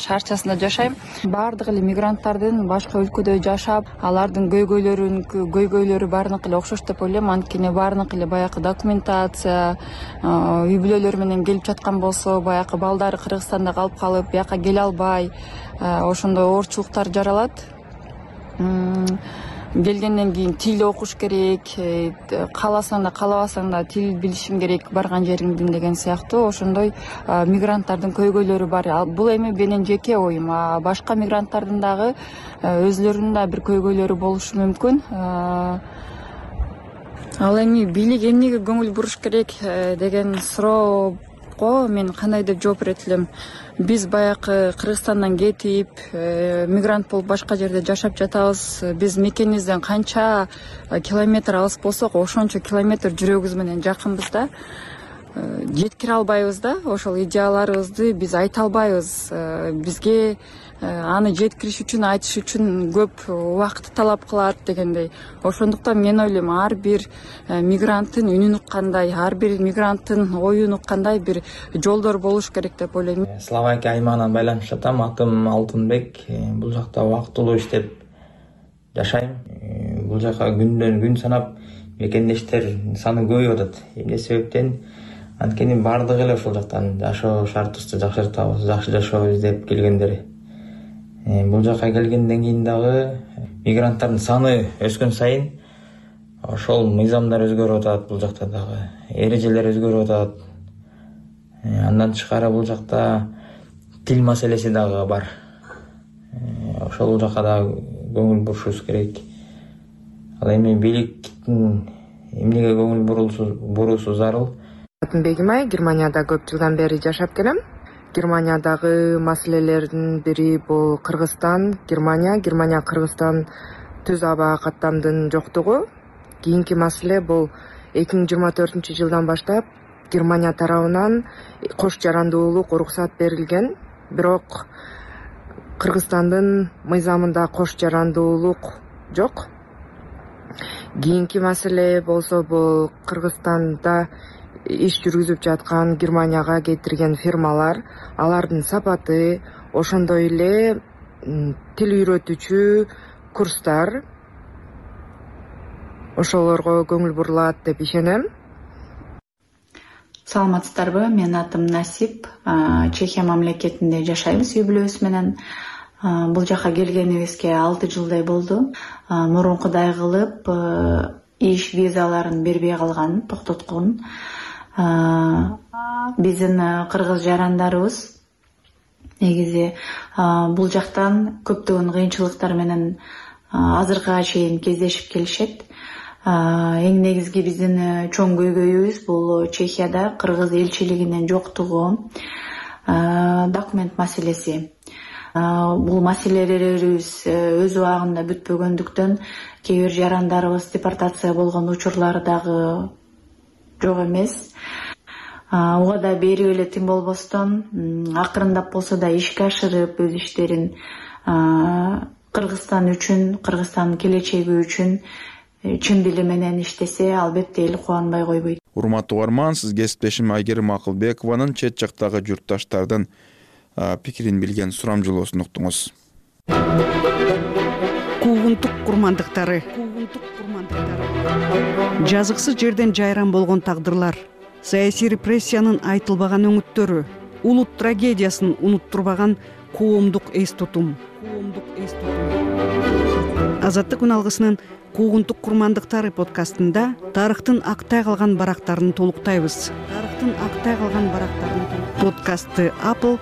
шаарчасында жашайм. Баардык эле мигранттардын башка өлкөдө жашап, алардын көйгөйлөрү баарыныкы эле окшош деп ойлойм. Анткени баарыныкы эле баягы документация, үй бүлөлөр менен келип жаткан болсо, баягы балдары Кыргызстанда калып, бияка келе албай, ошондой оорчулуктар жаралат. Келгенден кийин тил окуш керек, кааласаң да каалабасаң да тил билишим керек барган жериңдин деген сыяктуу ошондой мигранттардын көйгөйлөрү бар. Бул эми менин жеке оюм. Башка мигранттардын дагы өзлөрүнүн да бир көйгөйлөрү болушу мүмкүн. Ал эми бийлик эмнеге көңүл буруш керек деген суроого мен кандай деп жооп берет элем. Биз баягы Кыргызстандан кетип, мигрант болуп башка жерде жашап жатабыз. Биз мекенибизден канча километр алыс болсок, ошончо километр жүрөгүбүз менен жакынбыз да. Жеткире албайбыз да, ошол идеяларыбызды биз айта албайбыз. Бизге аны жеткириш үчүн, айтыш үчүн көп убакыт талап кылат дегендей. Ошондуктан мен ойлойм, ар бир мигранттын үнүн уккандай, ар бир мигранттын оюн уккандай бир жолдор болуш керек деп ойлойм. Словакия аймагынан байланышып жатам. Атым Алтынбек. Бул жакта убактылуу иштеп жашайм. Бул жака күндөн күн санап мекендештер саны көбөйүп атат. Эмне себептен? Анткени баардыгы эле ошол жактан жашоо шартыбызды жакшыртабыз, жакшы жашоо издеп келгендер. Бул жака келгенден кийин дагы мигранттардын саны өскөн сайын ошол мыйзамдар өзгөрүп атат, бул жакта дагы эрежелер өзгөрүп атат. Андан тышкары бул жакта тил маселеси дагы бар. Ошол жака да көңүл бурушубуз керек. Ал эми бийликтин эмнеге көңүл буруусу зарыл? Бегимай, Германияда көп жылдан бери жашап келем. Германиядагы маселелердин бири бул Кыргызстан, Германия, Кыргызстан түз аба каттамдын жоктугу. Кийинки маселе бул 2024 жылдан баштап Германия тарабынан кош жарандуулук уруксат берилген. Бирок Кыргызстандын мыйзамында кош жарандуулук жок. Кийинки маселе болсо бул Кыргызстанда иш жүргүзүп жаткан Германияга кетирген фирмалар, алардын сапаты, ошондой эле тил үйрөтүүчү курстар, ошолорго көңүл бурулат деп ишенем. Саламатсыздарбы, менин атым Насип. Чехия мамлекетинде жашайбыз үй бүлөбүз менен. Бул жака келгенибизге 6 жылдай болду. Мурункудай кылып иш визаларын бербей калган, токтоткон. Биздин кыргыз жарандарыбыз негизи бул жактан көптөгөн кыйынчылыктар менен азыркыга чейин кездешип келишет. Эң негизги биздин чоң көйгөйүбүз бул Чехияда кыргыз элчилигинин жоктугу, документ маселеси. Бул маселелерибиз өз убагында бүтпөгөндүктөн кээ бир жарандарыбыз депортация болгон учурлары дагы жок эмес. Уга берип эле тим болбостон акырындап болсо да ишке ашырып өз иштерин Кыргызстан үчүн, Кыргызстандын келечеги үчүн чын дили менен иштесе, албетте эл кубанбай койбойт. Урматтуу угарман, сиз кесиптешим Айгерим Акылбекованын чет жактагы журтташтардын пикирин билген сурамжылоосун уктуңуз. Куугунтук курмандыктары. Жазыксыз жерден жайран болгон тагдырлар, саясий репрессиянын айтылбаган өңүттөрү, улут трагедиясын унуттурбаган коомдук эс тутум. Азаттык үн алгысынын Куугунтук курмандыктары подкастында тарыхтын актай калган барактарын толуктайбыз. Подкастты Apple,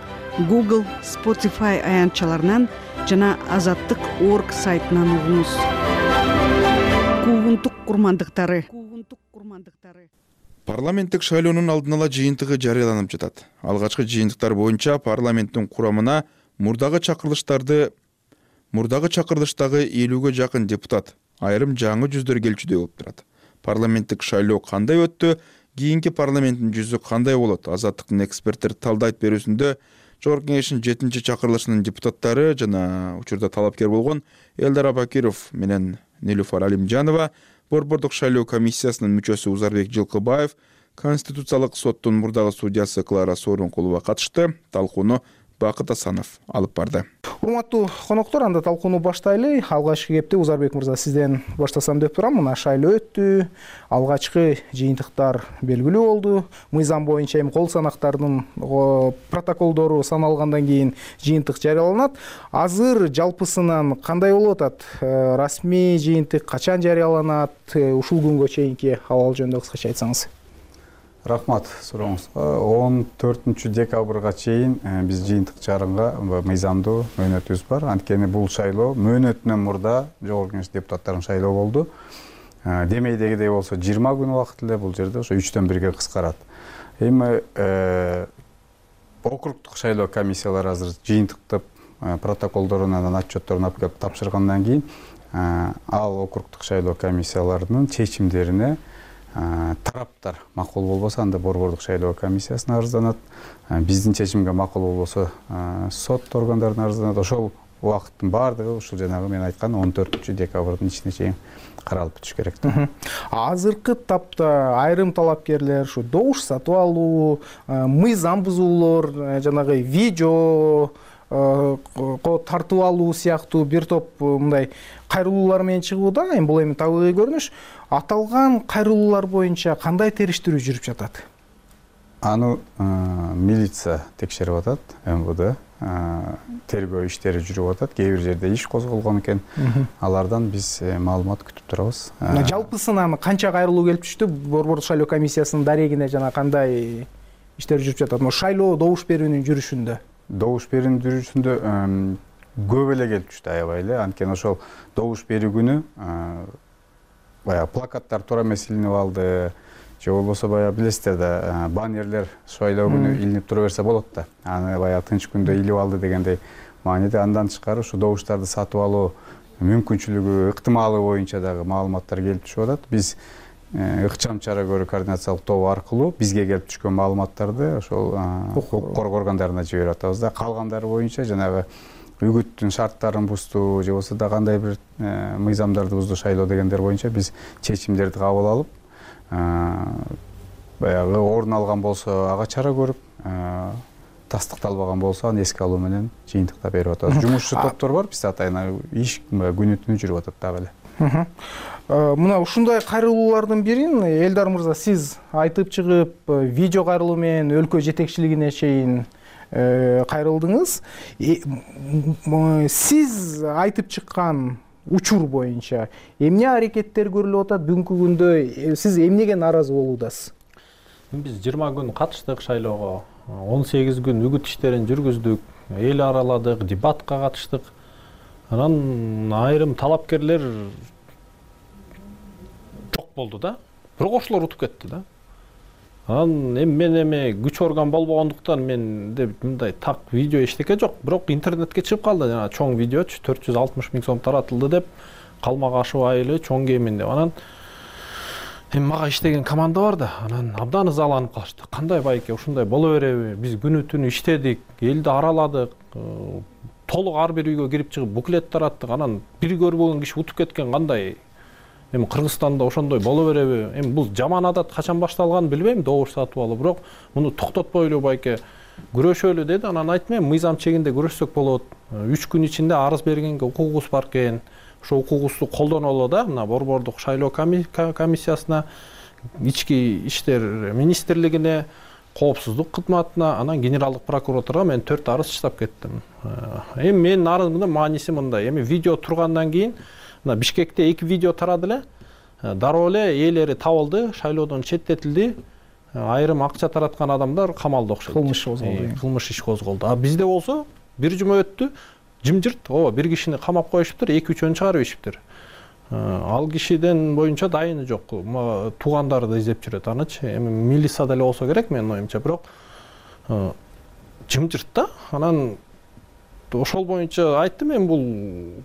Google, Spotify аянтчаларынан жана Азаттык.org сайтынан угуңуз. Куугунтук курмандыктары. Парламенттик шайлоонун алдын ала жыйынтыгы жарыяланып жатат. Алгачкы жыйынтыктар боюнча парламенттин курамына мурдагы чакырылыштагы 50-га жакын депутат, айрым жаңы жүздөр келчүдөй болуп турат. Парламенттик шайлоо кандай өттү? Кийинки парламенттин жүзү кандай болот? Азаттыктын эксперттер талдайт берүүсүндө Жогорку Кеңештин 7-чакырылышынын депутаттары жана учурда талапкер болгон Элдар Абакиров менен Нилуфар Алимжанова, Борбордук шайлоо комиссиясынын мүчөсү Узарбек Жылкыбаев, Конституциялык соттун мурдагы судьясы Клара Сооронкулова катышты. Талкууну Бакыт Асанов алып барды. Урматтуу коноктор, анда талкууну баштайлы. Алгачкы кепте Узарбек мырза сизден баштасам деп турам. Мына шайлоо өттү. Алгачкы жыйынтыктар белгилүү болду. Мыйзам боюнча эми кол санактардын протоколдору саналгандан кийин жыйынтык жарыяланат. Азыр жалпысынан кандай болуп атат? Расмий жыйынтык качан жарыяланат? Ушул күнгө чейинки абал жөнүндө кыскача айтсаңыз. Рахмат сурооңузга. 14 декабрга чейин биз жыйынтык чыгарганга мыйзамдуу мөөнөтүбүз бар. Анткени бул шайлоо мөөнөтүнөн мурда Жогорку Кеңеш депутаттарынын шайлоо болду. Демейдегидей болсо 20 күн убакыт эле, бул жерде ошо 3-төн 1-ге кыскарат. Эми округдук шайлоо комиссиялары азыр жыйынтыктап протоколдорун, анан отчетторун алып келип тапшыргандан кийин ал округдук шайлоо комиссияларынын чечимдерине тараптар макул болбосо анда Борбордук шайлоо комиссиясына арызданат. Биздин чечимге макул болбосо сот органдарына арызданат. Ошол убакыттын баардыгы ушул жанагы мен айткан 14 декабрдын ичине чейин каралып бүтүш керек. Азыркы тапта айрым талапкерлер ушу добуш сатып алуу, мыйзам бузуулор, жанагы видео тартып алуу сыяктуу бир топ мындай кайрылуулар менен чыгууда. Эми бул эми табигый көрүнүш. Аталган кайрылуулар боюнча кандай териштирүү жүрүп жатат? Аны милиция текшерип атат, МВД тергөө иштери жүрүп атат. Кээ бир жерде иш козголгон экен. Алардан биз маалымат күтүп турабыз. Жалпысынан канча кайрылуу келип түштү? Борбордук шайлоо комиссиясынын дарегине жана кандай иштер жүрүп жатат? Шайлоо добуш берүүнүн жүрүшүндө. Добуш берүүнүн жүрүшүндө көп эле келип түштү, аябай эле. Анткени ошол добуш берүү күнү баягы плакаттар туура эмес илинип алды. Же болбосо баягы билесиздер да, баннерлер шайлоо күнү илинип тура берсе болот да. Аны баягы тынч күндө илип алды дегендей мааниде. Андан тышкары ушу добуштарды сатып алуу мүмкүнчүлүгү, ыктымалы боюнча дагы маалыматтар келип түшүп атат. Биз ыкчам чара көрүү координациялык тобу аркылуу бизге келип түшкөн маалыматтарды ошол укук коргоо органдарына жиберип атабыз да. Калгандары боюнча жанагы үгүттүн шарттарын бузду же болбосо да кандай бир мыйзамдарды бузду шайлоо дегендер боюнча биз чечимдерди кабыл алып баягы орун алган болсо ага чара көрүп, тастыкталбаган болсо аны эске алуу менен жыйынтыктап берип атабыз. Жумушчу топтор бар, бизде атайын иш күнү түнү жүрүп атат дагы эле. Мына ушундай кайрылуулардын бирин Элдар мырза сиз айтып чыгып, видео кайрылуу менен өлкө жетекчилигине чейин кайрылдыңыз. Сиз айтып чыккан учур боюнча эмне аракеттер көрүлүп атат? Бүгүнкү күндө сиз эмнеге нааразы болуудасыз? Биз 20 күн катыштык шайлоого, 18 күн үгүт иштерин жүргүздүк, эл араладык, дебатка катыштык. Анан айрым талапкерлер жок болду да. Бирок ошолор утуп кетти да. Анан мен күч орган болбогондуктан менде мындай так видео эчтеке жок, бирок интернетке чыгып калды. Жана чоң видеочу 460 000 сом таратылды деп, калмак ашуу айылы чоң кемин деп. Анан мага иштеген команда бар да, анан абдан ызаланып калышты. Кандай байке ушундай боло береби? Биз күнү түнү иштедик, элди араладык, толук ар бир үйгө кирип чыгып буклет тараттык. Анан бир көрбөгөн киши утуп кеткен кандай? Эми Кыргызстанда ошондой боло береби? Эми бул жаман адат качан башталганын билбейм, добуш сатып алуу, бирок муну токтотпойлу байке, күрөшөлү деди. Анан айттым, эми мыйзам чегинде күрөшсөк болот. 3 күн ичинде арыз бергенге укугубуз бар экен. Ошо укугубузду колдонолу да, мына Борбордук шайлоо комиссиясына, ички иштер министрлигине, коопсуздук кызматына, анан генералдык прокуратурага мен 4 арыз чыгып кеттим. Эми менин арызымдын мааниси мындай. Эми видео тургандан кийин мына Бишкекте 2 видео тарады эле. Дароо эле ээлери табылды, шайлоодон четтетилди. Айрым акча тараткан адамдар камалда окшойт. Кылмыш иш козголду. А бизде болсо бир жума өттү, жымжырт, бир кишини камап коюшуптур, 2-3 чыгарып ишиптир. Ал кишиден боюнча дайыны жок. Туугандары да издеп жүрөт анычы. Эми милицияда эле болсо керек менин оюмча, бирок жымжырт да. Анан ошол боюнча айттым, мен бул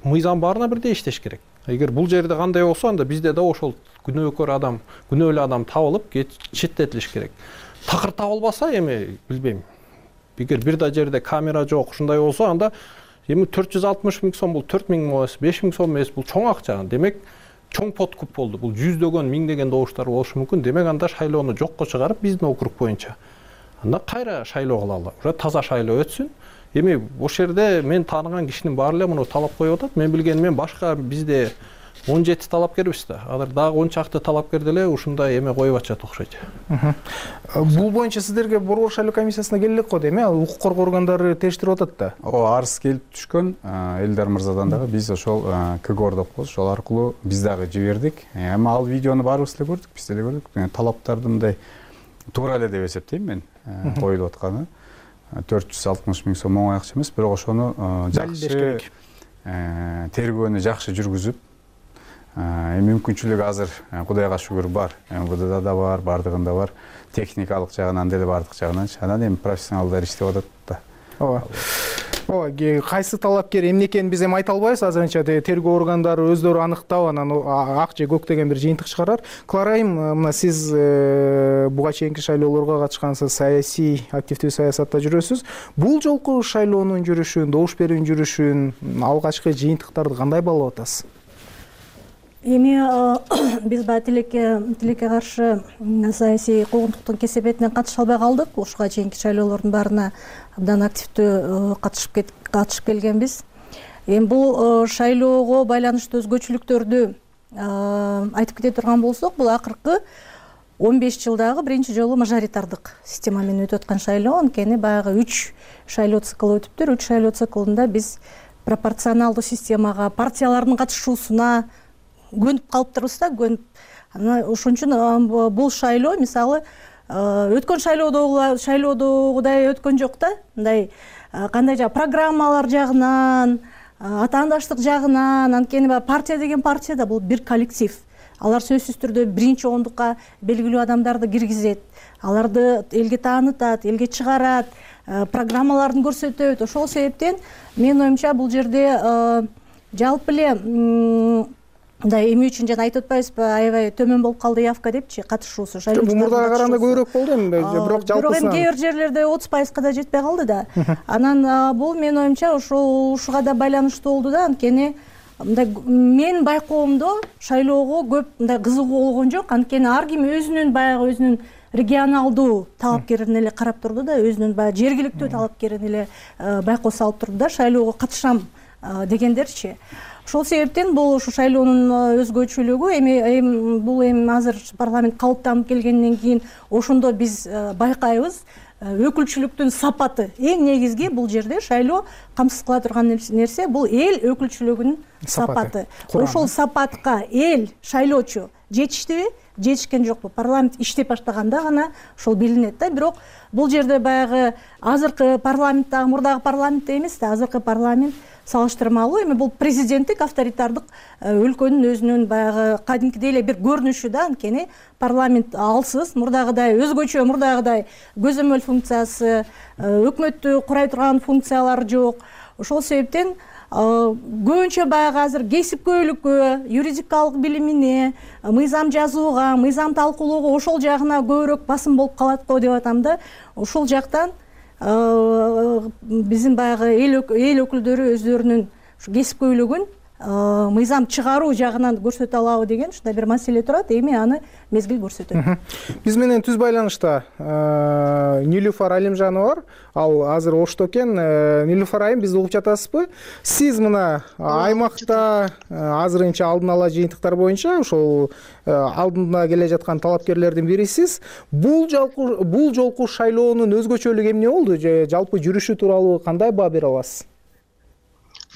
мыйзам баарына бирдей иштеш керек. Эгер бул жерде кандай болсо, анда бизде да ошол күнөөкөр адам, күнөөлүү адам табылып четтетилиш керек. Такыр табылбаса, эми билбейм. Эгер бир да жерде камера жок, ушундай болсо, анда эми 460 000 сом бул 4 000 эмес, 5 000 сом эмес, бул чоң акча. Демек, чоң подкуп болду. Бул жүздөгөн, миңдеген добуштар болушу мүмкүн. Демек, анда шайлоону жокко чыгарып, биздин округ боюнча. Анда кайра шайлоо кылалы. Уже таза шайлоо өтсүн. Эми ошол жерде мен тааныган кишинин баары эле муну талап коюп атат. Мен билгенмен башка бизде 17 талапкербиз да. Азыр дагы 10 чакты талапкер деле ушундай эме коюп атышат окшойт. Бул боюнча сиздерге Борбор шайлоо комиссиясына келелек го дейм, укук коргоо органдары териштирип атат да. Арыз келип түшкөн Элдар мырзадан дагы биз ошол КГОР деп коебуз, ошол аркылуу биз дагы жибердик. Эми ал видеону баарыбыз эле көрдүк, биз деле көрдүк. Талаптарды мындай туура эле деп эсептейм мен, коюлуп атканы. 460 000 сом оңой акча эмес, бирок ошону жакшы тергөөнү жакшы жүргүзүп, мүмкүнчүлүк азыр Кудайга шүгүр бар. МВДда да бар, бардыгында бар. Техникалык жагынан деле бардык жагынан. Анан эми профессионалдар иштеп атат да. Кайсы талапкер эмне экенин биз эми айта албайбыз, азырынча тергөө органдары өздөрү аныктап, анан ак же көк деген бир жыйынтык чыгарар. Кларайым, мына сиз буга чейинки шайлоолорго катышкансыз, саясий активдүү саясатта жүрөсүз. Бул жолку шайлоонун жүрүшүн, добуш берүүнүн жүрүшүн, алгачкы жыйынтыктарды кандай баалап атасыз? Эми биз баягы тилекке каршы саясий куугунтуктун кесепетинен катыша албай калдык. Ушуга чейинки шайлоолордун баарына абдан активдүү катышып келгенбиз. Эми бул шайлоого байланыштуу өзгөчөлүктөрдү айтып кете турган болсок, бул акыркы 15 жылдагы биринчи жолу мажоритардык система менен өтүп аткан шайлоо. Анткени баягы 3 шайлоо циклы өтүптүр. 3 шайлоо циклында биз пропорционалдуу системага, партиялардын катышуусуна көнүп калыптырбыз да, ошон үчүн бул шайлоо мисалы өткөн шайлоодогудай өткөн жок да. Мындай кандай программалар жагынан, атаандаштык жагынан, анткени партия деген партия да бул бир коллектив. Алар сөзсүз түрдө биринчи ондукка белгилүү адамдарды киргизет, аларды элге таанытат, элге чыгарат, программаларын көрсөтөт. Ошол себептен менин оюмча бул жерде жалпы эле мындай эми үчүн жана айтып атпайбызбы, аябай төмөн болуп калды явка депчи, катышуусу шайлоочулардын. Мурдага караганда көбүрөөк болду эми, бирок жалпысынан. Бирок эми кээ бир жерлерде 30%га да жетпей калды да. Анан бул менин оюмча ушуга да байланыштуу болду да, анткени мындай менин байкоомдо шайлоого көп мындай кызыгуу болгон жок, анткени ар ким өзүнүн регионалдуу талапкерин эле карап турду да, өзүнүн баягы жергиликтүү талапкерин эле байкоо салып турду да, шайлоого катышам дегендерчи. Ошол себептен бул ушу шайлоонун өзгөчөлүгү бул эми азыр парламент калыптанып келгенден кийин ошондо биз байкайбыз. Өкүлчүлүктүн сапаты эң негизги бул жерде шайлоо камсыз кыла турган нерсе, бул эл өкүлчүлүгүнүн сапаты. Ошол сапатка эл, шайлоочу жетиштиби, жетишкен жокпу? Парламент иштеп баштаганда гана ошол билинет да. Бирок бул жерде баягы азыркы парламенттагы мурдагы парламент эмес да, азыркы парламент салыштырмалуу эми бул президенттик авторитардык өлкөнүн өзүнүн баягы кадимкидей эле бир көрүнүшү да, анткени парламент алсыз, мурдагыдай өзгөчө, мурдагыдай көзөмөл функциясы, өкмөттү курай турган функциялар жок. Ошол себептен көбүнчө баягы азыр кесипкөйлүккө, юридикалык билимине, мыйзам жазууга, мыйзам талкуулоого ошол жагына көбүрөөк басым болуп калат го деп атам да. Ошол жактан биздин баягы эл өкүлдөрү өздөрүнүн кесипкөйлүгүн мыйзам чыгаруу жагынан көрсөтө алабы деген ушундай бир маселе турат. Эми аны мезгил көрсөтөт. Биз менен түз байланышта Нилуфар Алимжанова бар. Ал азыр Ошто экен. Нилуфар айым, бизди угуп жатасызбы? Сиз мына аймакта азырынча алдын ала жыйынтыктар боюнча ошол алдында келе жаткан талапкерлердин бирисиз. Бул жолку шайлоонун өзгөчөлүгү эмне болду? Жалпы жүрүшү тууралуу кандай баа бере аласыз?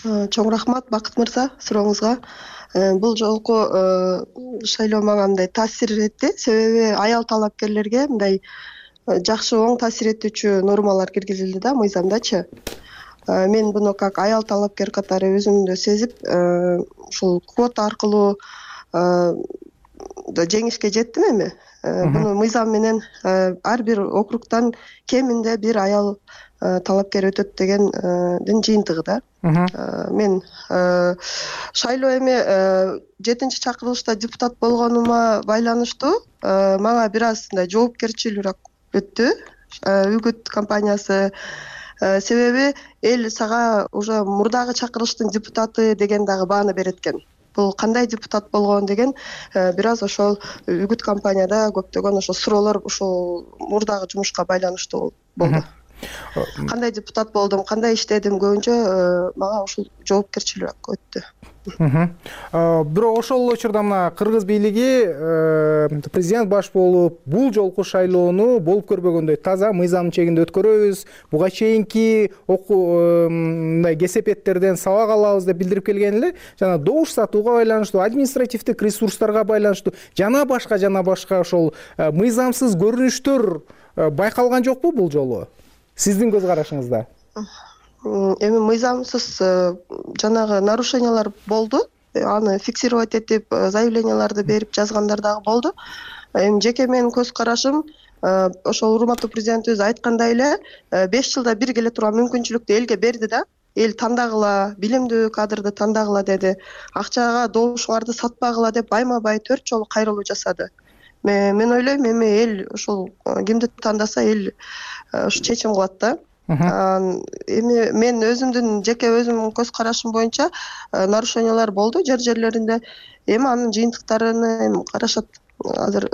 Чоң рахмат Бакыт мырза сурооңузга. Бул жолку шайлоо мага мындай таасир этти. Себеби аял талапкерлерге мындай жакшы оң таасир этүүчү нормалар киргизилди да мыйзамдачы. Мен буну как аял талапкер катары өзүмдү сезип, ушул квота аркылуу жеңишке жеттим эми. Буну мыйзам менен ар бир округтан кеминде бир аял талапкер өтөт дегендин жыйынтыгы да. Мен шайлоо эми 7-чакырылышта депутат болгонума байланыштуу мага бир аз мындай жоопкерчилүүрөөк өттү үгүт кампаниясы. Себеби эл сага уже мурдагы чакырылыштын депутаты деген дагы бааны берет экен. Бул кандай депутат болгон деген бир аз ошол үгүт кампанияда көптөгөн ошол суроолор ушул мурдагы жумушка байланыштуу болду. Кандай депутат болдум, кандай иштедим, көбүнчө мага ушул жоопкерчилүүрөөк өттү. Бирок ошол учурда мына кыргыз бийлиги президент баш болуп, бул жолку шайлоону болуп көрбөгөндөй таза мыйзамдын чегинде өткөрөбүз, буга чейинки мындай кесепеттерден сабак алабыз деп билдирип келген эле. Жана добуш сатууга байланыштуу, административдик ресурстарга байланыштуу жана башка ошол мыйзамсыз көрүнүштөр байкалган жокпу бул жолу? Сиздин көз карашыңызда? Эми мыйзамсыз жанагы нарушениялар болду. Аны фиксировать этип, заявленияларды берип жазгандар дагы болду. Эми жеке менин көз карашым ошол урматтуу президентибиз айткандай эле 5 жылда бир келе турган мүмкүнчүлүктү элге берди да. Эл тандагыла, билимдүү кадрды тандагыла деди. Акчага добушуңарды сатпагыла деп байма-бай 4 жолу кайрылуу жасады. Мен ойлойм, эми эл ошол кимди тандаса эл ушу чечим кылат да. Эми мен өзүмдүн жеке өзүмдүн көз карашым боюнча нарушениялар болду жерлеринде. Эми анын жыйынтыктарын карашат. Азыр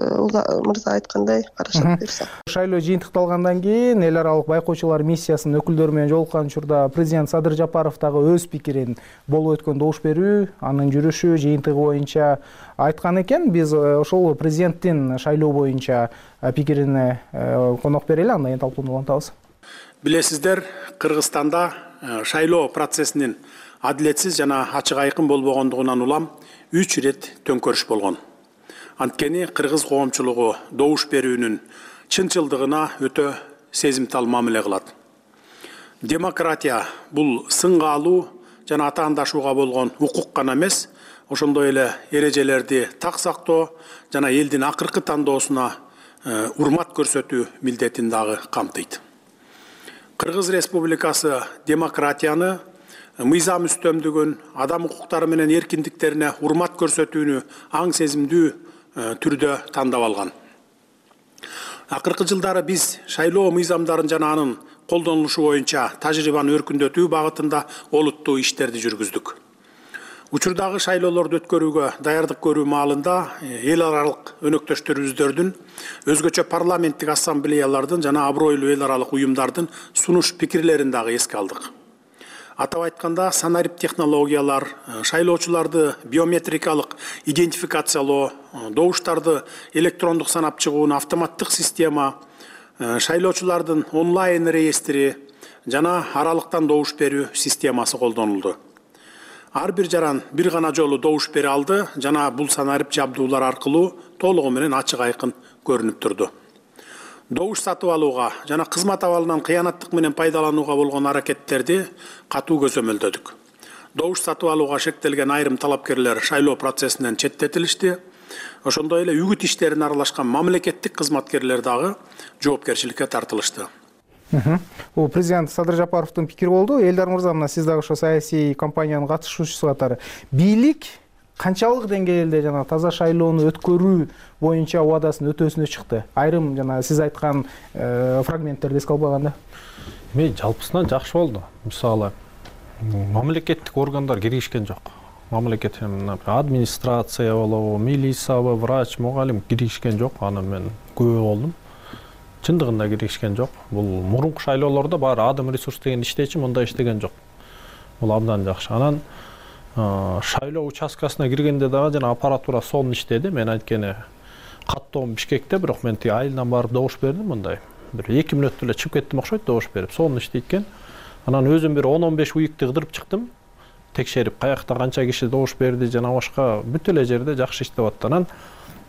мырза айткандай карашат берсе. Шайлоо жыйынтыкталгандан кийин эл аралык байкоочулар миссиясынын өкүлдөрү менен жолуккан учурда президент Садыр Жапаров дагы өз пикирин болуп өткөн добуш берүү, анын жүрүшү, жыйынтыгы боюнча айткан экен. Биз ошол президенттин шайлоо боюнча пикирине конок берели, андан кийин талкууну улантабыз. Билесиздер, Кыргызстанда шайлоо процессинин адилетсиз жана ачык айкын болбогондугунан улам 3 ирет төңкөрүш болгон. Анткени кыргыз коомчулугу добуш берүүнүн чынчылдыгына өтө сезимтал мамиле кылат. Демократия бул сынга алуу жана атаандашууга болгон укук гана эмес, ошондой эле эрежелерди так сактоо жана элдин акыркы тандоосуна урмат көрсөтүү милдетин дагы камтыйт. Кыргыз Республикасы демократияны мыйзам үстөмдүгүн, адам укуктары менен эркиндиктерине урмат көрсөтүүнү аң сезимдүү түрдө тандап алган. Акыркы жылдары биз шайлоо мыйзамдарын жана анын колдонулушу боюнча тажрыйбаны өркүндөтүү багытында олуттуу иштерди жүргүздүк. Учурдагы шайлоолорду өткөрүүгө даярдык көрүү маалында эл аралык өнөктөштөрүбүздөрдүн, өзгөчө парламенттик ассамблеялардын жана абройлуу эл аралык уюмдардын сунуш пикирлерин дагы эске алдык. Атап айтканда, санарип технологиялар, шайлоочуларды биометрикалык идентификациялоо, добуштарды электрондук санап чыгуунун автоматтык система, шайлоочулардын онлайн реестри жана аралыктан добуш берүү системасы колдонулду. Ар бир жаран бир гана жолу добуш бере алды жана бул санарип жабдуулар аркылуу толугу менен ачык айкын көрүнүп турду. Добуш сатып алууга жана кызмат абалынан кыянаттык менен пайдаланууга болгон аракеттерди катуу көзөмөлдөдүк. Добуш сатып алууга шектелген айрым талапкерлер шайлоо процессинен четтетилишти. Ошондой эле үгүт иштерине аралашкан мамлекеттик кызматкерлер дагы жоопкерчиликке тартылышты. Бул президент Садыр Жапаровдун пикири болду. Элдар мырза, мына сиз дагы ошо саясий кампаниянын катышуучусу катары бийлик канчалык деңгээлде жана таза шайлоону өткөрүү боюнча убадасын өтөөсүнө чыкты? Айрым жана сиз айткан фрагменттерди эске албаганда. Жалпысынан жакшы болду. Мисалы, мамлекеттик органдар киришкен жок. Мамлекет администрация болобу, милициябы, врач, мугалим киришкен жок. Аны мен күбө болдум. Чындыгында киришкен жок. Бул мурунку шайлоолордо баары адам ресурс деген иштечи, мындай иштеген жок. Бул абдан жакшы. Анан шайлоо участкасына киргенде дагы жана аппаратура сонун иштеди. Мен айткені каттоом Бишкекте, бирок мен айылдан барып добуш бердим, мындай. Бир 2 мүнөттө эле чыгып кеттим окшойт, добуш берип. Сонун иштейт экен. Анан өзүм бир 10-15 уюкты кыдырып чыктым. Текшерип, каякта канча киши добуш берди жана башка бүт эле жерде жакшы иштеп атты. Анан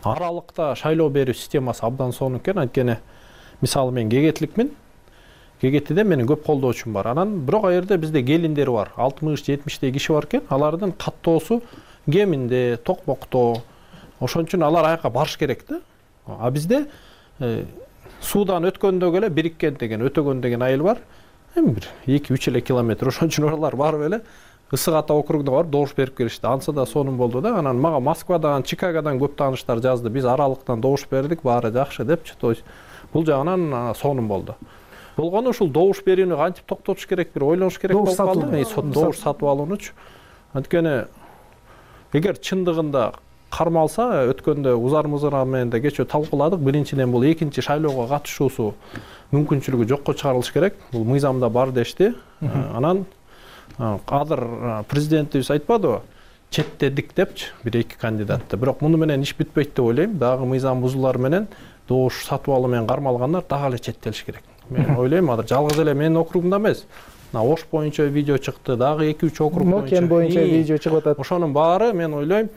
аралыкта шайлоо берүү системасы абдан сонун экен. Айткені мисалы мен кегетиликмин. Кегетиде менин көп колдоочум бар. Анан бирок ал жерде бизде келиндер бар. 60-70 киши бар экен. Алардын каттоосу Кеминде, Токмокто. Ошон үчүн алар аяка барыш керек да. А бизде суудан өткөндөгө эле Бириккен деген, Өтөгөн деген айыл бар. Бир 2-3 эле километр. Ошон үчүн алар барып эле Ысык Ата округуна барып добуш берип келишти. Ансы да сонун болду да. Анан мага Москвадан, Чикагодан көп тааныштар жазды. Биз аралыктан добуш бердик, баары жакшы депчи. То есть бул жагынан сонун болду. Болгону ушул добуш берүүнү кантип токтотуш керек, бир ойлонуш керек болуп калды. Добуш сатып алуунучу. Анткени эгер чындыгында кармалса, өткөндө Узар менен да кечөө талкууладык. Биринчиден бул экинчи шайлоого катышуусу мүмкүнчүлүгү жокко чыгарылыш керек. Бул мыйзамда бар дешти. Анан азыр президентибиз айтпадыбы? Четтедик депчи бир-эки кандидатты. Бирок муну менен иш бүтпөйт деп ойлойм. Дагы мыйзам бузуулары менен добуш сатып алуу менен кармалгандар дагы эле четтелиш керек. Мен ойлойм, азыр жалгыз эле менин округумда эмес. Ош боюнча видео чыкты, дагы 2-3 округ боюнча видео чыгып атат. Ошонун баары мен ойлойм,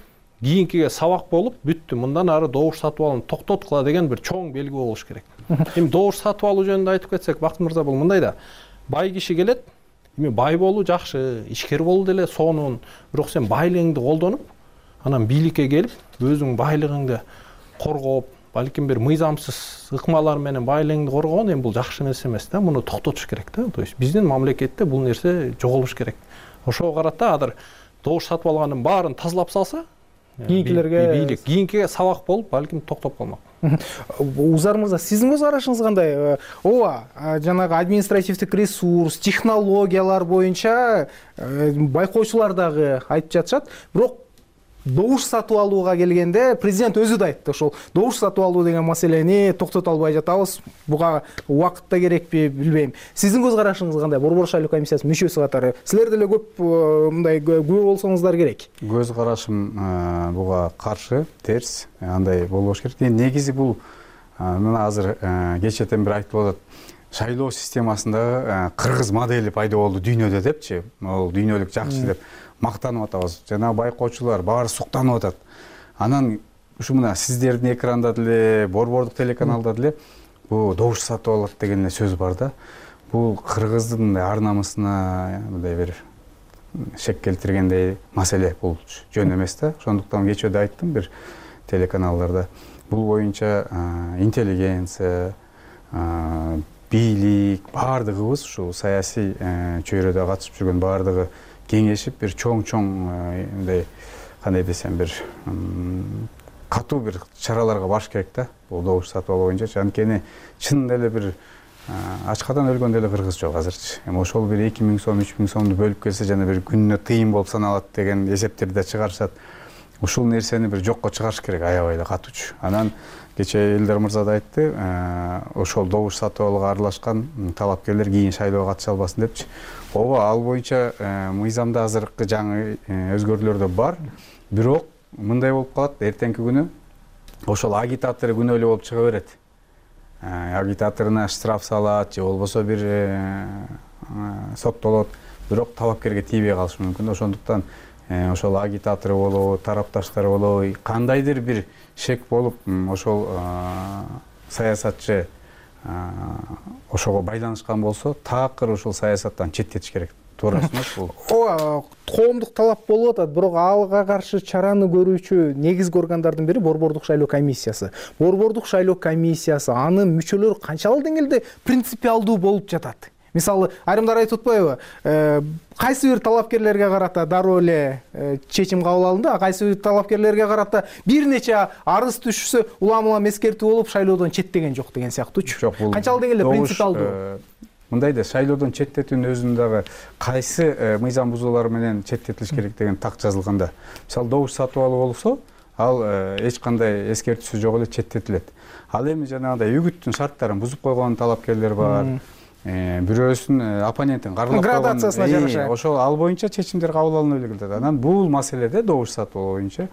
кийинкиге сабак болуп бүттү. Мындан ары добуш сатып алууну токтоткула деген бир чоң белги болуш керек. Эми добуш сатып алуу жөнүндө айтып кетсек, Бакыт мырза, бул мындай да. Бай киши келет, эми бай болуу жакшы, ишкер болуу деле сонун. Бирок сен байлыгыңды колдонуп, анан бийликке келип, өзүң байлыгыңды коргоп, балким бир мыйзамсыз ыкмалар менен байлыгыңды коргоон эми бул жакшы нерсе эмес да. Муну токтотуш керек да. То есть биздин мамлекетте бул нерсе жоголуш керек. Ошого карата азыр добуш сатып алгандын баарын тазалап салса, кийинкиге сабак болуп, балким токтоп калмак. Узар мырза, сиздин көз карашыңыз кандай? Ооба, жанагы административдик ресурс, технологиялар боюнча байкоочулар дагы айтып жатышат. Бирок добуш сатып алууга келгенде президент өзү да айтты, ошол добуш сатып алуу деген маселени токтото албай жатабыз. Буга убакыт да керекпи, билбейм. Сиздин көз карашыңыз кандай? Борбор шайлоо комиссиясынын мүчөсү катары силер деле көп мындай күбө болсоңуздар керек. Көз карашым буга каршы, терс, андай болбош керек. Негизи бул мына азыр кечэтен бир айтып атат. Шайлоо системасында кыргыз модели пайда болду дүйнөдө депчи. Ал дүйнөлүк жакшы деп мактанып атабыз. Жана байкоочулар баары суктанып атат. Анан ушу мына сиздердин экранда деле, борбордук телеканалда деле бул добуш сатып алат деген сөз бар да. Бул кыргыздын ар намысына мындай бир шек келтиргендей маселе, бул жөн эмес да. Ошондуктан кечөөдө айттым бир телеканалдарда. Бул боюнча интеллигенция, бийлик, баардыгыбыз ушу саясий чөйрөдө катышып жүргөн баардыгы кеңешип бир чоң мындай кандай десем бир катуу бир чараларга барыш керек да, бул добуш сатып алуу боюнча. Анткени чын эле бир ачкадан өлгөн деле кыргыз жок азырчы. Эми ошол бир 2000 сом, 3000 сомду бөлүп келсе жана бир күнүнө тыйын болуп саналат деген эсептерди да чыгарышат. Ушул нерсени бир жокко чыгарыш керек аябай эле катуучу. Анан кечээ Элдар мырза да айтты, ошол добуш сатып алууга аралашкан талапкерлер кийин шайлоого катыша албасын депчи. Ооба, ал боюнча мыйзамда азыркы жаңы өзгөрүүлөр да бар. Бирок мындай болуп калат, эртеңки күнү ошол агитатор күнөөлүү болуп чыга берет. Агитаторуна штраф салат же болбосо бир соттолот, бирок талапкерге тийбей калышы мүмкүн. Ошондуктан ошол агитатор болобу, тарапташтар болобу, кандайдыр бир шек болуп ошол саясатчы ошого байланышкан болсо, такыр ошол саясаттан четтетиш керек. Туура эмес бул? Ооба, коомдук талап болуп атат, бирок алга каршы чараны көрүүчү негизги органдардын бири Борбордук шайлоо комиссиясы. Борбордук шайлоо комиссиясы, анын мүчөлөрү канчалык деңгээлде принципиалдуу болуп жатат? Мисалы, айрымдар айтып атпайбы? Кайсы бир талапкерлерге карата дароо эле чечим кабыл алынды, кайсы бир талапкерлерге карата бир нече арыз түшсө улам эскертүү болуп шайлоодон четтеген жок деген сыяктуучу. Канчалык деңгээлде принципиалдуу? Мындай да, шайлоодон четтетүүнүн өзүнүн дагы кайсы мыйзам бузуулар менен четтетилиш керек деген так жазылганда. Мисалы, добуш сатып алуу болсо, ал эч кандай эскертүүсү жок эле четтетилет. Ал эми жанагындай үгүттүн шарттарын бузуп койгон талапкерлер бар. Бирөөсүн оппонентин карлап градациясына жараша ошол ал боюнча чечимдер кабыл алына келет. Анан бул маселеде добуш сатып алуу боюнча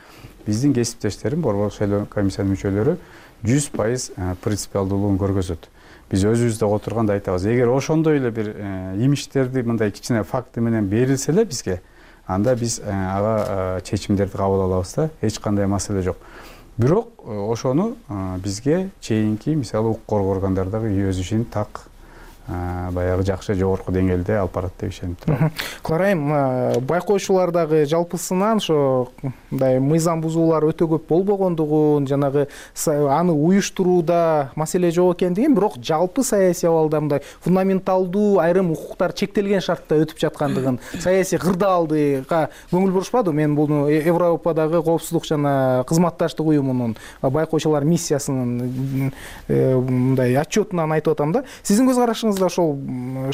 биздин кесиптештерим, Борбордук шайлоо комиссиянын мүчөлөрү 100% принципиалдуулугун көргөзөт. Биз өзүбүздө отурганда айтабыз, эгер ошондой эле бир имишттерди мындай кичине факты менен берилсе эле бизге, анда биз ага чечимдерди кабыл алабыз да, эч кандай маселе жок. Бирок ошону бизге чейинки, мисалы, укук коргоо органдары дагы өз ишин так баягы жакшы жогорку деңгээлде алып барат деп ишенип турам. Кыларайым, байкоочулар дагы жалпысынан ошо мындай мыйзам бузуулар өтө көп болбогондугун, жанагы аны уюштурууда маселе жок экендигин, бирок жалпы саясий абалда мындай фундаменталдуу айрым укуктар чектелген шартта өтүп жаткандыгын, саясий кырдаалдыга көңүл бурушпадыбы? Мен буну Европадагы коопсуздук жана кызматташтык уюмунун байкоочулар миссиясынын мындай отчетунан айтып атам да. Сиздин көз карашыңыз ошол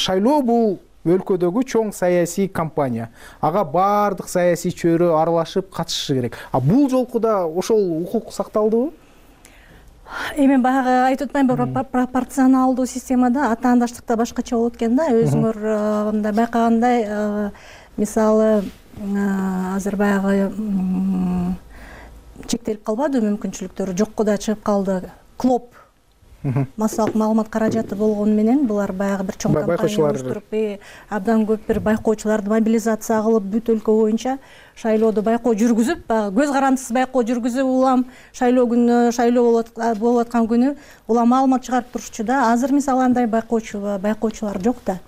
шайлоо бул өлкөдөгү чоң саясий кампания. Ага баардык саясий чөйрө аралашып катышышы керек. Бул жолку да ошол укук сакталдыбы? Эми баягы айтып атпаймынбы, пропорционалдуу системада атаандаштыкта башкача болот экен да. Өзүңөр мындай байкагандай, мисалы, азыр баягы чектелип калбадыбы мүмкүнчүлүктөрү, жокко да чыгып калды. Клоп массалык маалымат каражаты болгону менен булар баягы бир чоң кампания уюштуруп, абдан көп бир байкоочуларды мобилизация кылып, бүт өлкө боюнча шайлоодо байкоо жүргүзүп, көз карандысыз байкоо жүргүзүп, улам шайлоо күнү, шайлоо болуп аткан күнү улам маалымат чыгарып турушчу да. Азыр мисалы андай байкоочулар жок да.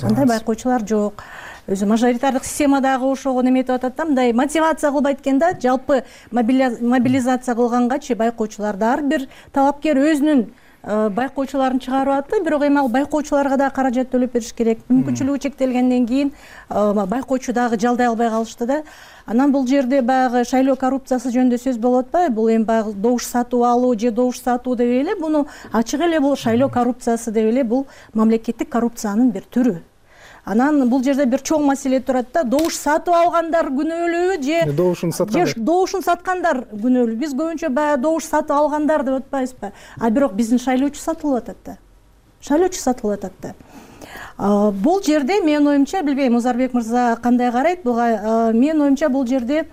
Андай байкоочулар жок. Өзү мажоритардык системадагы ошого неметип атат да, мындай мотивация кылбайт экен да, жалпы мобилизация кылгангачы байкоочуларды ар бир талапкер өзүнүн байкоочуларын чыгарып атты, бирок эми ал байкоочуларга да каражат төлөп бериш керек. Мүмкүнчүлүгү чектелгенден кийин байкоочу дагы жалдай албай калышты да. Анан бул жерде баягы шайлоо коррупциясы жөнүндө сөз болуп атпайбы? Бул эми баягы добуш сатып алуу же добуш сатуу деп эле, буну ачык эле бул шайлоо коррупциясы деп эле, бул мамлекеттик коррупциянын бир түрү. Анан бул жерде бир чоң маселе турат да, добуш сатып алгандар күнөөлүүбү же добушун саткандар күнөөлүү. Биз көбүнчө баягы добуш сатып алгандар деп атпайбызбы? Бирок биздин шайлоочу сатылып атат да. Шайлоочу сатылып атат да. Бул жерде менин оюмча, билбейм, Узарбек мырза кандай карайт буга, менин оюмча бул жерде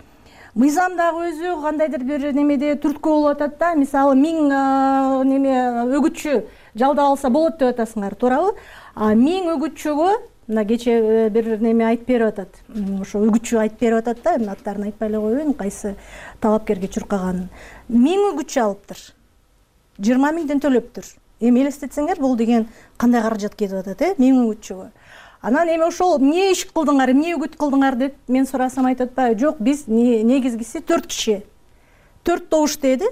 мыйзамдагы өзү кандайдыр бир немеде түрткү болуп атат да. Мисалы 1000 неме өгүтчү жалдап алса болот деп атасыңар, туурабы? 1000 өгүтчүгө мына кече бир неме айтып берип атат. Ошо үгүтчү айтып берип атат да, эми аттарын айтпай эле коеюн, кайсы талапкерге чуркаганын. 1000 үгүтчү алыптыр. 20 000ден төлөптүр. Эми элестетсеңер, бул деген кандай каражат кетип атат, 1000 үгүтчүгө. Анан эми ошол эмне иш кылдыңар, эмне үгүт кылдыңар деп мен сурасам айтып атпайбы? Жок, биз негизгиси 4 киши. 4 добуш деди,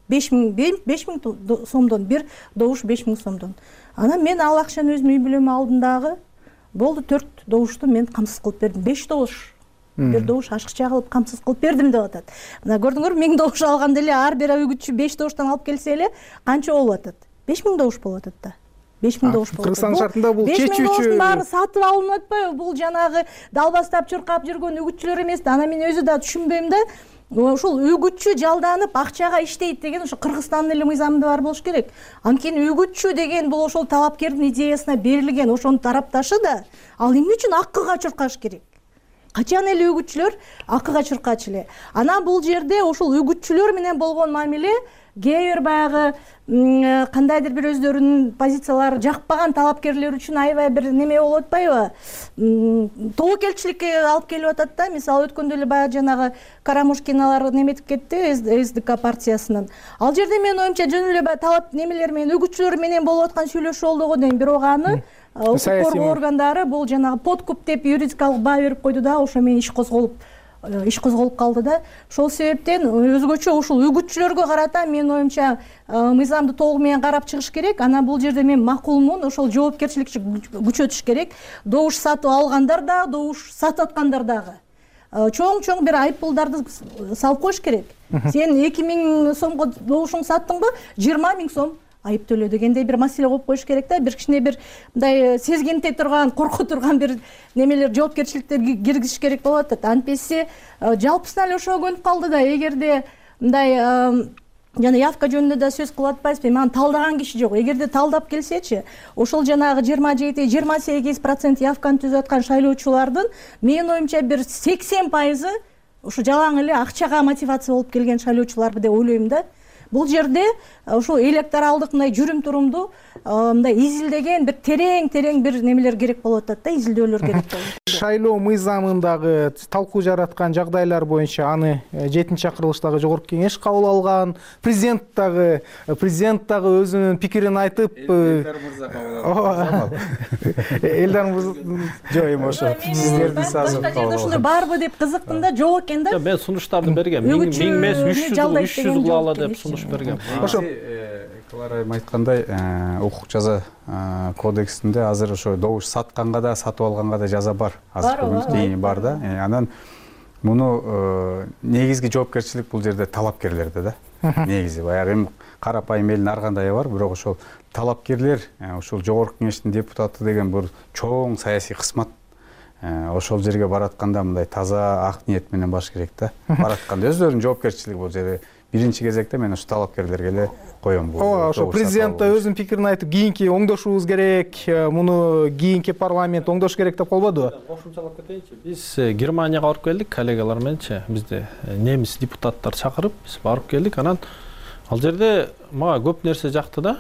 5000 сомдон, бир добуш 5000 сомдон. Анан мен ал акчаны өзүмдүн үй бүлөмө алдым дагы. болду 4 добушту мен камсыз кылып бердим. 5 добуш, бир добуш ашыкча кылып камсыз кылып бердим деп атат. Мына көрдүңөр, 1000 добуш алганда эле ар бир өгүтчү 5 добуштан алып келсе эле канча болуп атат? 5000 добуш болуп атат да. 5000 добуш болуп атат. Кыргызстан шартында бул чечүүчү. 5000 добуштун баары сатып алынып атпайбы? Бул жанагы далбастап чуркап жүргөн үгүтчүлөр эмес да. Аны мен өзү да түшүнбөйм да. Ошол үгүтчү жалданып акчага иштейт деген ошо Кыргызстандын эле мыйзамында бар болуш керек. Анткени үгүтчү деген бул ошол талапкердин идеясына берилген ошонун тарапташы да. Ал эмне үчүн акыга чуркаш керек? Качан эле үгүтчүлөр акыга чуркачу эле. Анан бул жерде ошол үгүтчүлөр менен болгон мамиле кээ бир баягы кандайдыр бир өздөрүнүн позициялары жакпаган талапкерлер үчүн аябай бир неме болуп атпайбы? Тобокелчиликке алып келип атат да. Мисалы өткөндө эле баягы жанагы Карамушкиналар неметип кетти СДК партиясынын. Ал жерде менин оюмча жөн эле талап немелер менен үгүтчүлөр менен болуп аткан сүйлөшүү болду го дейм. Бирок аны укук коргоо органдары бул жанагы подкуп деп юридикалык баа берип койду да, ошо менен иш козголуп калды да. Ошол себептен өзгөчө ушул үгүтчүлөргө карата менин оюмча мыйзамды толугу менен карап чыгыш керек. Анан бул жерде мен макулмун, ошол жоопкерчиликти күчөтүш керек. Добуш сатып алгандар да, добуш сатып аткандар дагы чоң бир айыппулдарды салып коюш керек. Сен 2000 сомго добушуңду саттыңбы? 20 000 сом айып төлөө дегендей бир маселе коюп коюш керек да. Бир кичине бир мындай сезгенте турган, корко турган бир немелер жоопкерчиликтер киргизиш керек болуп атат. Антпесе жалпысынан эле ошого көнүп калды да. Эгерде мындай жана явка жөнүндө да сөз кылып атпайсызбы? Мага талдаган киши жок. Эгерде талдап келсечи, ошол жанагы 27-28% явканы түзүп аткан шайлоочулардын менин оюмча бир 80% ушу жалаң эле акчага мотивация болуп келген шайлоочулар деп ойлойм да. Бул жерде ошол электоралдык мындай жүрүм турумду мындай изилдеген бир терең бир немелер керек болуп атат да, изилдөөлөр керек болот. Шайлоо мыйзамындагы талкуу жараткан жагдайлар боюнча аны 7-чакырылыштагы жогорку кеңеш кабыл алган. Президент дагы өзүнүн пикирин айтып, Элдар мырза жок эми ошо сиздердин сазын кабыл алган. Ошондой барбы деп кызыктым да, жок экен да. Мен сунуштарды бергем. 1000 эмес 300 кылалы деп сунуш берген. Ошо Клара айым айткандай, укук жаза кодексинде азыр ошо добуш сатканга да, сатып алганга да жаза бар. Азыркы күндө бар да. Анан муну негизги жоопкерчилик бул жерде талапкерлерде да. Негизи баягы эми карапайым элдин ар кандайы бар, бирок ошол талапкерлер, ошол жогорку кеңештин депутаты деген бул чоң саясий кызмат. Ошол жерге баратканда мындай таза ак ниет менен баш керек да. Баратканда өздөрүнүн жоопкерчилиги бул жерде. Биринчи кезекте мен ошо талапкерлерге эле коем бул. Ошо президент да өзүнүн пикирин айтып, кийинки оңдошубуз керек, муну кийинки парламент оңдош керек деп болбодубу? Кошумчалап кетейинчи. Биз Германияга барып келдик, коллегалар мененчи. Бизде немис депутаттар чакырып, биз барып келдик. Анан ал жерде мага көп нерсе жакты да.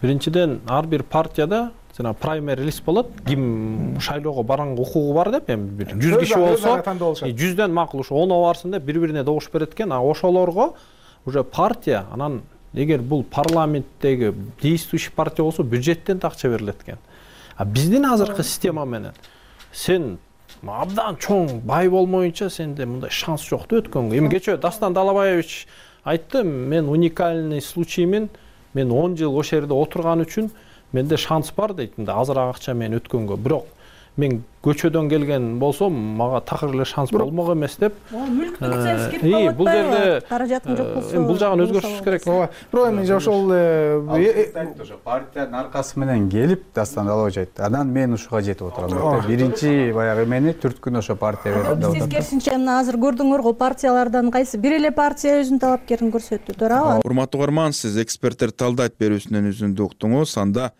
Биринчиден ар бир партияда жана праймери лист болот. Ким шайлоого барганга укугу бар деп, эми бир 100 киши болсо, 100дөн макул ушу 10 барсын деп бири-бирине добуш берет экен. А ошолорго уже партия, анан эгер бул парламенттеги действующий партия болсо бюджеттен да акча берилет экен. А биздин азыркы система менен сен абдан чоң бай болмоюнча сенде мындай шанс жок да өткөнгө. Эми кечээ Дастан Далабаевич айтты, мен уникальный случаймен мен 10 жыл ошол жерде отурган үчүн менде шанс бар дейт. Мындай азыраак акча менен өткөнгө. Бирок мен көчөдөн келген болсом, мага такыр эле шанс болмок эмес деп. Мүлктүк ценз кирип калат. Бул жерде каражатың жок болсо. Бул жагын өзгөртүш керек. Бирок эми ошол ошо партиянын аркасы менен келип Дастан Далабаевич айтты. Анан мен ушуга жетип отурам. Биринчи баягы эмени түрткүн ошо партия берди деп атат. Тескерисинче мына азыр көрдүңөр го, партиялардан кайсы бир эле партия өзүнүн талапкерин көрсөттү, туурабы? Урматтуу угарман, сиз эксперттер талдайт берүүсүнүн үзүндү уктуңуз. Анда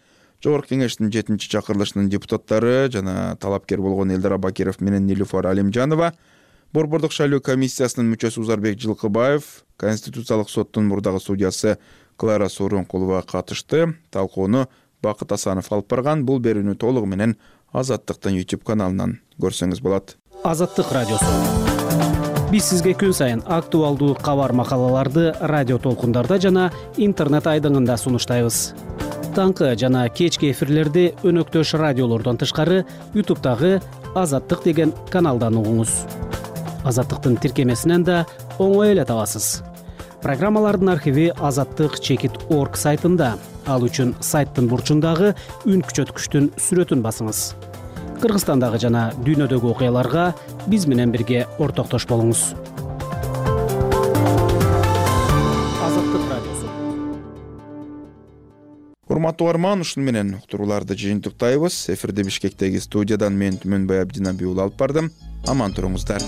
Жогорку кеңештин 7-чакырылышынын депутаттары жана талапкер болгон Элдар Абакиров менен Нилуфар Алимжанова, Борбордук шайлоо комиссиясынын мүчөсү Узарбек Жылкыбаев, Конституциялык соттун мурдагы судьясы Клара Сооронкулова катышты. Талкууну Бакыт Асанов алып барган. Бул берүүнү толугу менен Азаттыктын YouTube каналынан көрсөңүз болот. Азаттык радиосу. Биз сизге күн сайын актуалдуу кабар макалаларды радио толкундарда жана интернет айдыңында сунуштайбыз. Таңкы жана кечки эфирлерди өнөктөш радиолордон тышкары YouTube'дагы Азаттык деген каналдан угуңуз. Азаттыктын тиркемесинен да оңой эле табасыз. Программалардын архиви azattik.org сайтында. Ал үчүн сайттын бурчундагы үн күчөткүчтүн сүрөтүн басыңыз. Кыргызстандагы жана дүйнөдөгү окуяларга биз менен бирге ортоктош болуңуз. Азаттык радиосу. Урматтуу угарман, ушуну менен уктурууларды жыйынтыктайбыз. Эфирде Бишкектеги студиядан мен Түмөнбай Абдинабий уулу алып бардым. Аман туруңуздар.